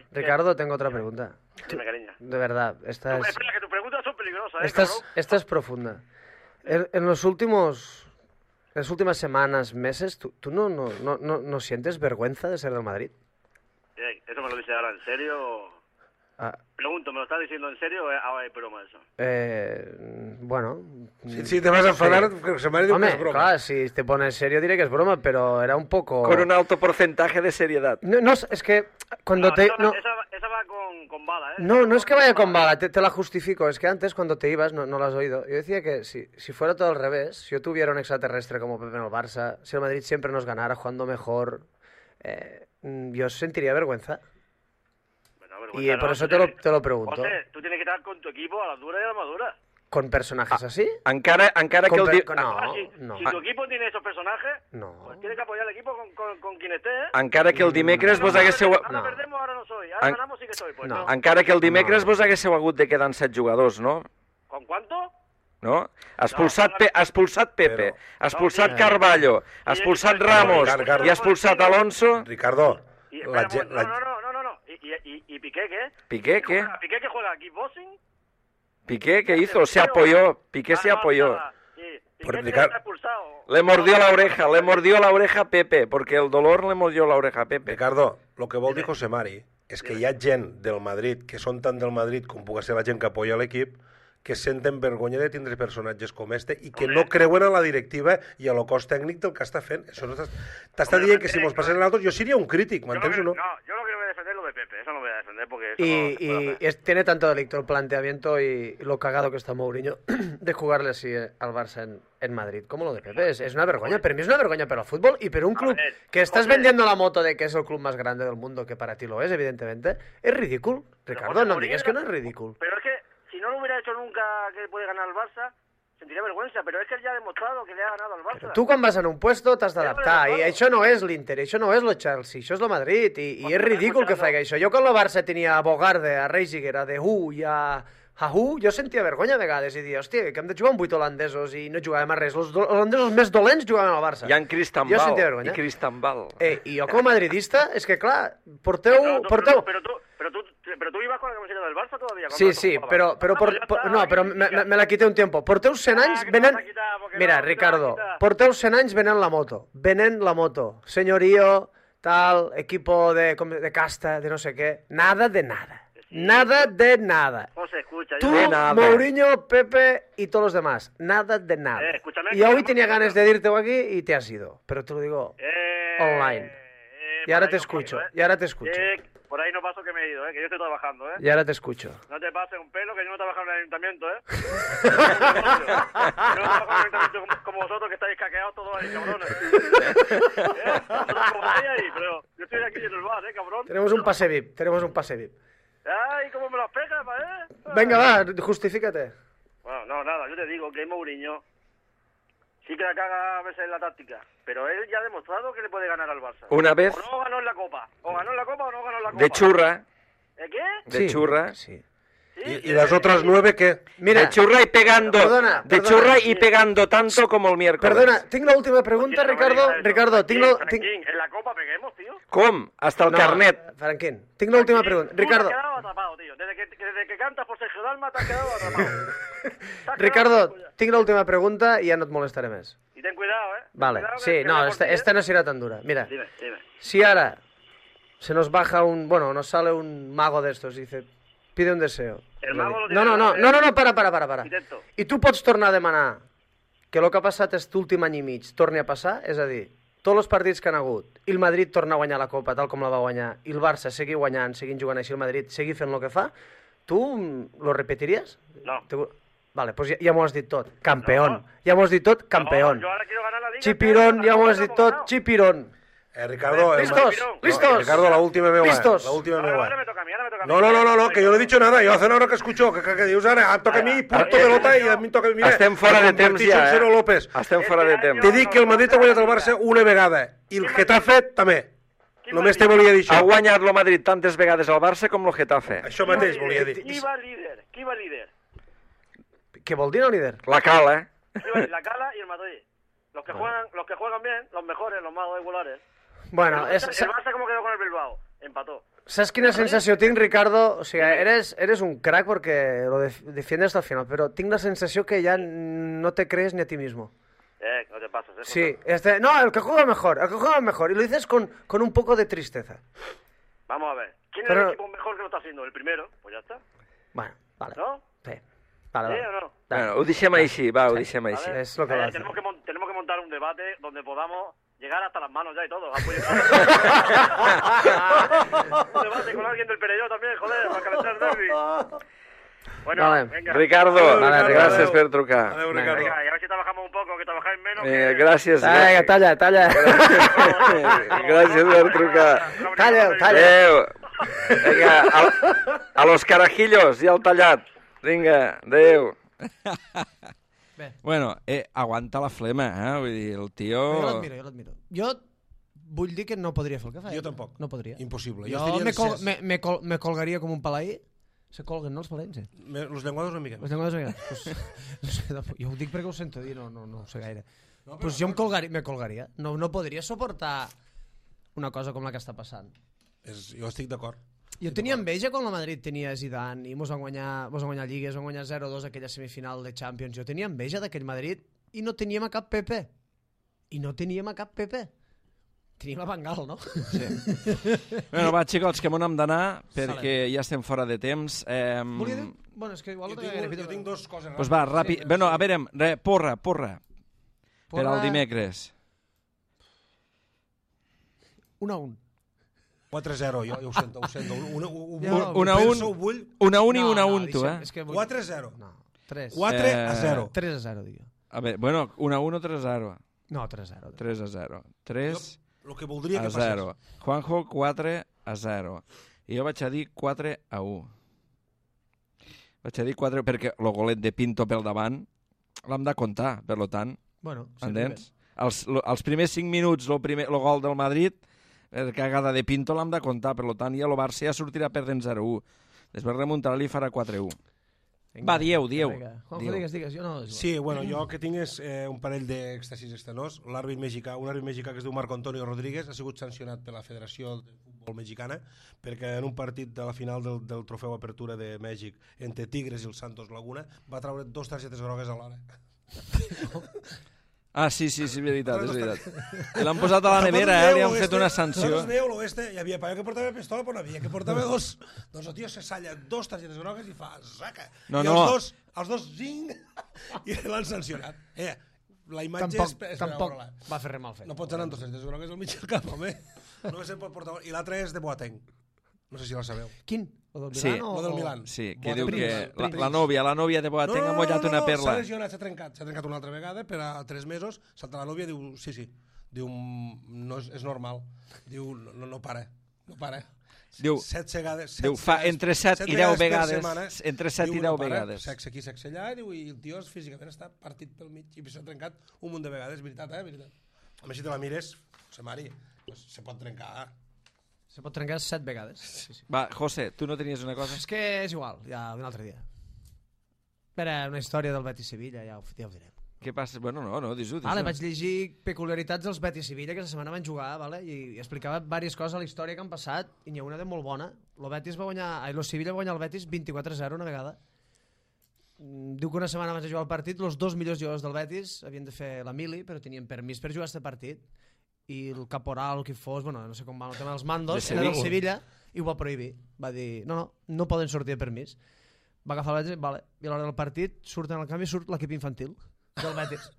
Ricardo, tengo otra pregunta. Dime, cariño. De verdad, esta es... Espera, que tus preguntas son peligrosas, Esta es profunda. En las últimas semanas, meses, ¿tú no sientes vergüenza de ser del Madrid? ¿Eso me lo dice ahora en serio? Pregunto, ¿me lo estás diciendo en serio o es broma eso? Bueno... Si te vas a enfadar, se me ha dicho que es broma. Claro, si te pones serio diré que es broma, pero era un poco... Con un alto porcentaje de seriedad. No, es que cuando esa va con bala, ¿eh? No es que vaya con bala, te la justifico. Es que antes, cuando te ibas, no lo has oído. Yo decía que si fuera todo al revés, si yo tuviera un extraterrestre como Pepe en el Barça, si el Madrid siempre nos ganara jugando mejor, yo sentiría vergüenza. Y por eso te lo pregunto. José, tú tienes que estar con tu equipo a la dura y a la madura. ¿Con personajes así? Encara que el... Si tu equipo tiene esos personajes, pues tienes que apoyar al equipo con quien esté, ¿eh? Encara que el dimecres vos haguéssiu... Ara perdemos, ara no soy. Ara ganamos, sí que soy. Pues no. Encara que el dimecres vos haguéssiu hagut de quedar en 7 jugadors, no? ¿Con cuánto? No? Expulsat Pepe, expulsat Carvalho, expulsat Ramos i expulsat Alonso... Ricardo... No. ¿Y Piqué qué? ¿Piqué qué? ¿Piqué que juega kickboxing? ¿Piqué qué hizo? Se apoyó. Piqué se apoyó. Sí. Piqué está expulsado. Le mordió la oreja a Pepe, porque el dolor le mordió la oreja a Pepe. Ricardo, lo que vol dir José Mari és que hi ha gent del Madrid, que són tant del Madrid com pugui ser la gent que apoya l'equip, que senten vergonya de tindre personatges com este i que no creuen en la directiva i a lo cos tècnic del que està fent. Això t'està dient que si mos passen nosaltres, jo seria un crític, m'entens o no? No, yo lo que voy a defender lo de Pepe, eso no voy a defender porque... Tiene tanto delicto el planteamiento y lo cagado que está Mourinho de jugarle así al Barça en Madrid, como lo de Pepe. Es una vergüenza, pero a mí es una vergüenza para el fútbol y para un club que estás vendiendo la moto de que es el club más grande del mundo, que para ti lo es, evidentemente. Es ridículo, Ricardo, no digas que no es ridículo. Pero es que si no lo hubiera hecho nunca que puede ganar el Barça, sentiria vergüenza, però és que ell ja ha demostrat que li ha ganat al Barça. Tu quan vas en un puesto t'has d'adaptar, i això no és l'Inter, això no és el Chelsea, això és el Madrid, i és ridícul que faci això. Jo quan el Barça tenia a Bogarde, a Reisiger, a Dehu i a Hahu, jo sentia vergonya a vegades i dia, hòstia, que hem de jugar amb 8 holandesos i no jugàvem a res. Els holandesos més dolents jugaven al Barça. I en Cristambal. I Cristambal. I jo com a madridista, és que clar, porteu... Pero tú ibas con la camiseta del Barça todavía. Sí, pero me la quité un tiempo. Porteu 100 anys venen... Mira, Ricardo, porteu 100 anys venen la moto. Senyorío, tal, equipo de casta, de no sé qué. Nada de nada. Nada de nada. José, escucha. Tú, Mourinho, Pepe y todos los demás. Nada de nada. Y hoy tenía ganas de irte aquí y te has ido. Pero te lo digo online. Y ahora te escucho. Por ahí no paso que me he ido, que yo estoy trabajando, Y ahora te escucho. No te pases un pelo, que yo no trabajo en el ayuntamiento, Yo no trabajo en el ayuntamiento como vosotros, que estáis caqueados todos ahí, cabrones. Como estáis ahí, pero yo estoy aquí en el bar, cabrón. Tenemos un pase VIP. Ay, ¿cómo me lo pegas, Venga, va, justifícate. Bueno, no, nada, yo te digo que Mourinho sí que la caga a veces en la táctica, pero él ya ha demostrado que le puede ganar al Barça. Una vez... O no ganó en la Copa. O ganó en la Copa o no ganó en la Copa. De churra. ¿De qué? De churra. Sí. ¿Y las otras 9 qué? Mira, de churra y pegando, perdona, de churra y pegando tanto como el miércoles. Perdona, tinc l'última pregunta, Ricardo, tinc la... Franquín, en la copa peguemos, tío. Com? Hasta el carnet. Franquín, tinc l'última pregunta. Ricardo, Tú te has quedado atrapado, tío. Desde que cantas por Sergio Dalma te has quedado atrapado. Ricardo, tinc l'última pregunta i ja no et molestaré més. Y ten cuidado, Vale, sí, no, esta no será tan dura. Mira, Dime. si ahora se nos baja nos sale un mago de estos y dice, pide un deseo. El mago lo tiene No, para. Arquitecto. I tu pots tornar a demanar que el que ha passat aquest últim any i mig torni a passar? És a dir, tots els partits que han hagut, i el Madrid torna a guanyar la Copa tal com la va guanyar, i el Barça seguir guanyant, seguint jugant així, el Madrid seguir fent el que fa, tu lo repetiries? No. Vale, pues ja m'ho has dit tot. Campeón. Ja m'ho has dit tot, campeón. No, yo ahora quiero ganar la Liga. Chipirón, ja m'ho has dit tot, chipirón. Ricardo... ¿Listos? Ricardo, la última meva. ¿Listos? La última meva. Ahora me toca a mí. No, que yo no he dicho nada. Yo hace una hora que escucho que dius ara, em toca a mi, punto pelota, i a mi em toca a mi. Estem fora de temps ja, Cero López. Estem fora de temps. Te dic que el Madrid ha guanyat el Barça una vegada, i el Getafe també. Només te volia dir Ha això. guanyat el Madrid tantes vegades al Barça com el Getafe. Això mateix volia dir. Qui va líder? Què vol dir el líder? La Cala, La Cala y el Madrid. Los que juegan bien, los mejores, los más regulares. Bueno, El Barça como quedó con el Bilbao, empató. ¿Sabes quina sensació tinc, Ricardo? O sigui, eres un crack porque lo defiendes hasta el final, pero tengo la sensación que ya no te crees ni a ti mismo. No te pases, Sí, no, el que juega mejor, y lo dices con un poco de tristeza. Vamos a ver. ¿Quién es Pero- el equipo mejor que lo está haciendo? El primero, pues ya está. Bueno, vale. ¿No? Sí. Vale. ¿Sí o no? Bueno, ho deixem així, va, ho deixem Vale. així. Es lo que va a hacer. Tenemos que montar un debate donde podamos llegar hasta las manos ya y todo. Un debate con alguien del Perelló también, joder, para calentar el derbi. Bueno, Vale. venga. Ricardo, Vale, gràcies per trucar. Adéu, Ricardo. Venga, y a ver si trabajamos un poco, que trabajáis menos. Gràcies. Venga, talla. Gràcies per trucar. Talla. Adéu. Vinga, a los carajillos i al tallat. Vinga, adéu. Bé. Bueno, aguanta la flema, Vull dir, el tio... Jo l'admiro. Jo vull dir que no podria fer el que fa. Jo tampoc. No podria. Impossible. Jo me colgaria com un palaí. Se colguen, no, els palaïns? Los llenguados una mica. Les llenguades vegades. Pues, no sé, jo ho dic perquè ho sento dir, no ho sé gaire. Pues jo me colgaria. No podria suportar una cosa com la que està passant. Jo estic d'acord. Jo tenia enveja quan la Madrid tenia Zidane i mos van guanyar lligues, van guanyar 0-2 aquella semifinal de Champions. Jo tenia enveja d'aquell Madrid i no teníem a cap Pepe. Teníem a Van Gaal, no? Sí. Bueno, va, xicots, que m'on hem d'anar perquè ja estem fora de temps. Volia dir... Bueno, és que igual... Jo tinc dos coses. Pues va, ràpid. Bueno, a veure, porra. Per al dimecres. 1-1. 4-0, jo ho sento. 1-1 i 1-1, tu, 4-0. No, 3. 4-0. 3-0, digue. A veure, bueno, 1-1 o 3-0? No, 3-0. 3-0. 3 El que voldria que a 0. passés. Juanjo, 4-0. I jo vaig a dir 4-1. Vaig a dir 4 perquè el golet de Pinto pel davant l'hem de comptar, per tant. Bueno, Entens? Els primers 5 minuts, el gol del Madrid, la cagada de Pinto l'hem de comptar, per tant, ja el Barça ja sortirà perdent 0-1. Després remuntarà-li i farà 4-1. Va, dieu. Juanjo, digues, jo no... Sí, bueno, jo que tinc és un parell d'èxtasis extenors. L'àrbit mexicà, un àrbit mexicà que es diu Marco Antonio Rodríguez, ha sigut sancionat per la Federació de Futbol Mexicana perquè en un partit de la final del Trofeu Apertura de Mèxic entre Tigres i el Santos Laguna va treure 2 targetes grogues alhora. Ah, sí, veritat, és veritat. I l'han posat a la nevera, li han fet una sanció. Nosaltres veieu l'oeste, hi havia paio que portava pistola, però no havia que portava dos. Doncs el tio se salla 2 targetes grogues i fa saca. No. Els dos zing, i l'han sancionat. La imatge Tampoc va fer res mal fet. No pots anar amb 2 targetes grogues al mig del camp, home. No se pot portar... I l'altre és de Boateng. No sé si la sabeu. Quin? O del Sí. Milan Lo del Milan. Sí, que Boateng. diu que Prince. la nòvia de Boateng ha mullat una perla. S'ha lesionat, s'ha trencat una altra vegada, per a 3 mesos, salta la nòvia, diu, sí, diu, no és normal, diu, no para. Diu, 7 vegades. Diu, fa entre 7 i 10 per vegades. setmana, Entre 7 i diu, 10 no para, vegades. Sexe aquí, sexe allà, diu, i el tio físicament està partit pel mig i s'ha trencat un munt de vegades, veritat. A més, si te la mires, se mari, pues, se pot trencar. Se pot trencar 7 vegades. Sí. Va, José, tu no tenies una cosa? És que és igual, ja un altre dia. Era una història del Betis-Sevilla, ja ho direm. Què passa? Bueno, no, dis-ho. Vale, vaig llegir peculiaritats dels Betis-Sevilla, que aquesta setmana van jugar, vale? I explicava diverses coses a la història que han passat, i n'hi ha una de molt bona. Lo Sevilla va guanyar el Betis 24-0 una vegada. Diu que una setmana abans de jugar el partit, els 2 millors jugadors del Betis havien de fer la mili, però tenien permís per jugar aquest partit. I el caporal, qui fos, bueno, no sé com va el tema dels mandos, era del Sevilla, i ho va prohibir. Va dir, no poden sortir de permís. Va agafar el Betis, vale. I a l'hora del partit, surt en el canvi, surt l'equip infantil del Betis.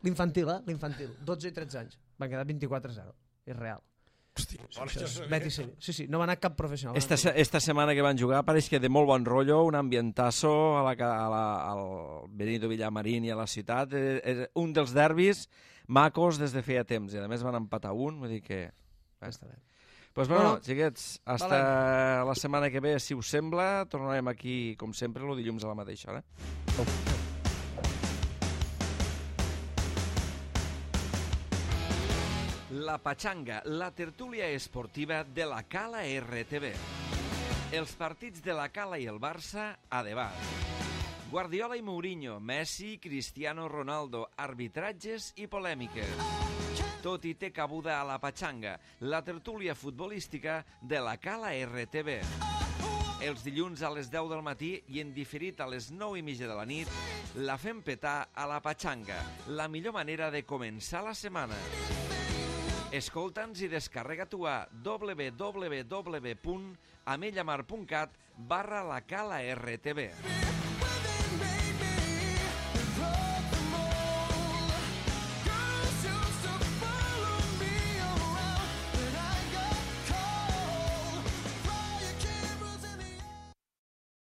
L'infantil, l'infantil. 12 i 13 anys. Van quedar 24-0. És real. Hòstia, Betis, sí, no va anar cap professional. Esta setmana que van jugar pareix que de molt bon rotllo, un ambientazo al Benito Villamarín i a la ciutat. Un dels derbis macos des de feia temps. I a més van empatar un, vull dir que... Està bé. Pues bueno, xiquets, hasta la setmana que ve, si us sembla, tornarem aquí, com sempre, el dilluns a la mateixa hora. La Pachanga, la tertúlia esportiva de la Cala RTV. Els partits de la Cala i el Barça a debat. Guardiola i Mourinho, Messi, Cristiano Ronaldo, arbitratges i polèmiques. Tot hi té cabuda a la Pachanga, la tertúlia futbolística de la Cala RTV. Els dilluns a les 10 del matí i en diferit a les 9:30 de la nit, la fem petar a la Pachanga, la millor manera de començar la setmana. Escolta'ns i descarrega-t'ho a www.amellamar.cat/la Cala RTV.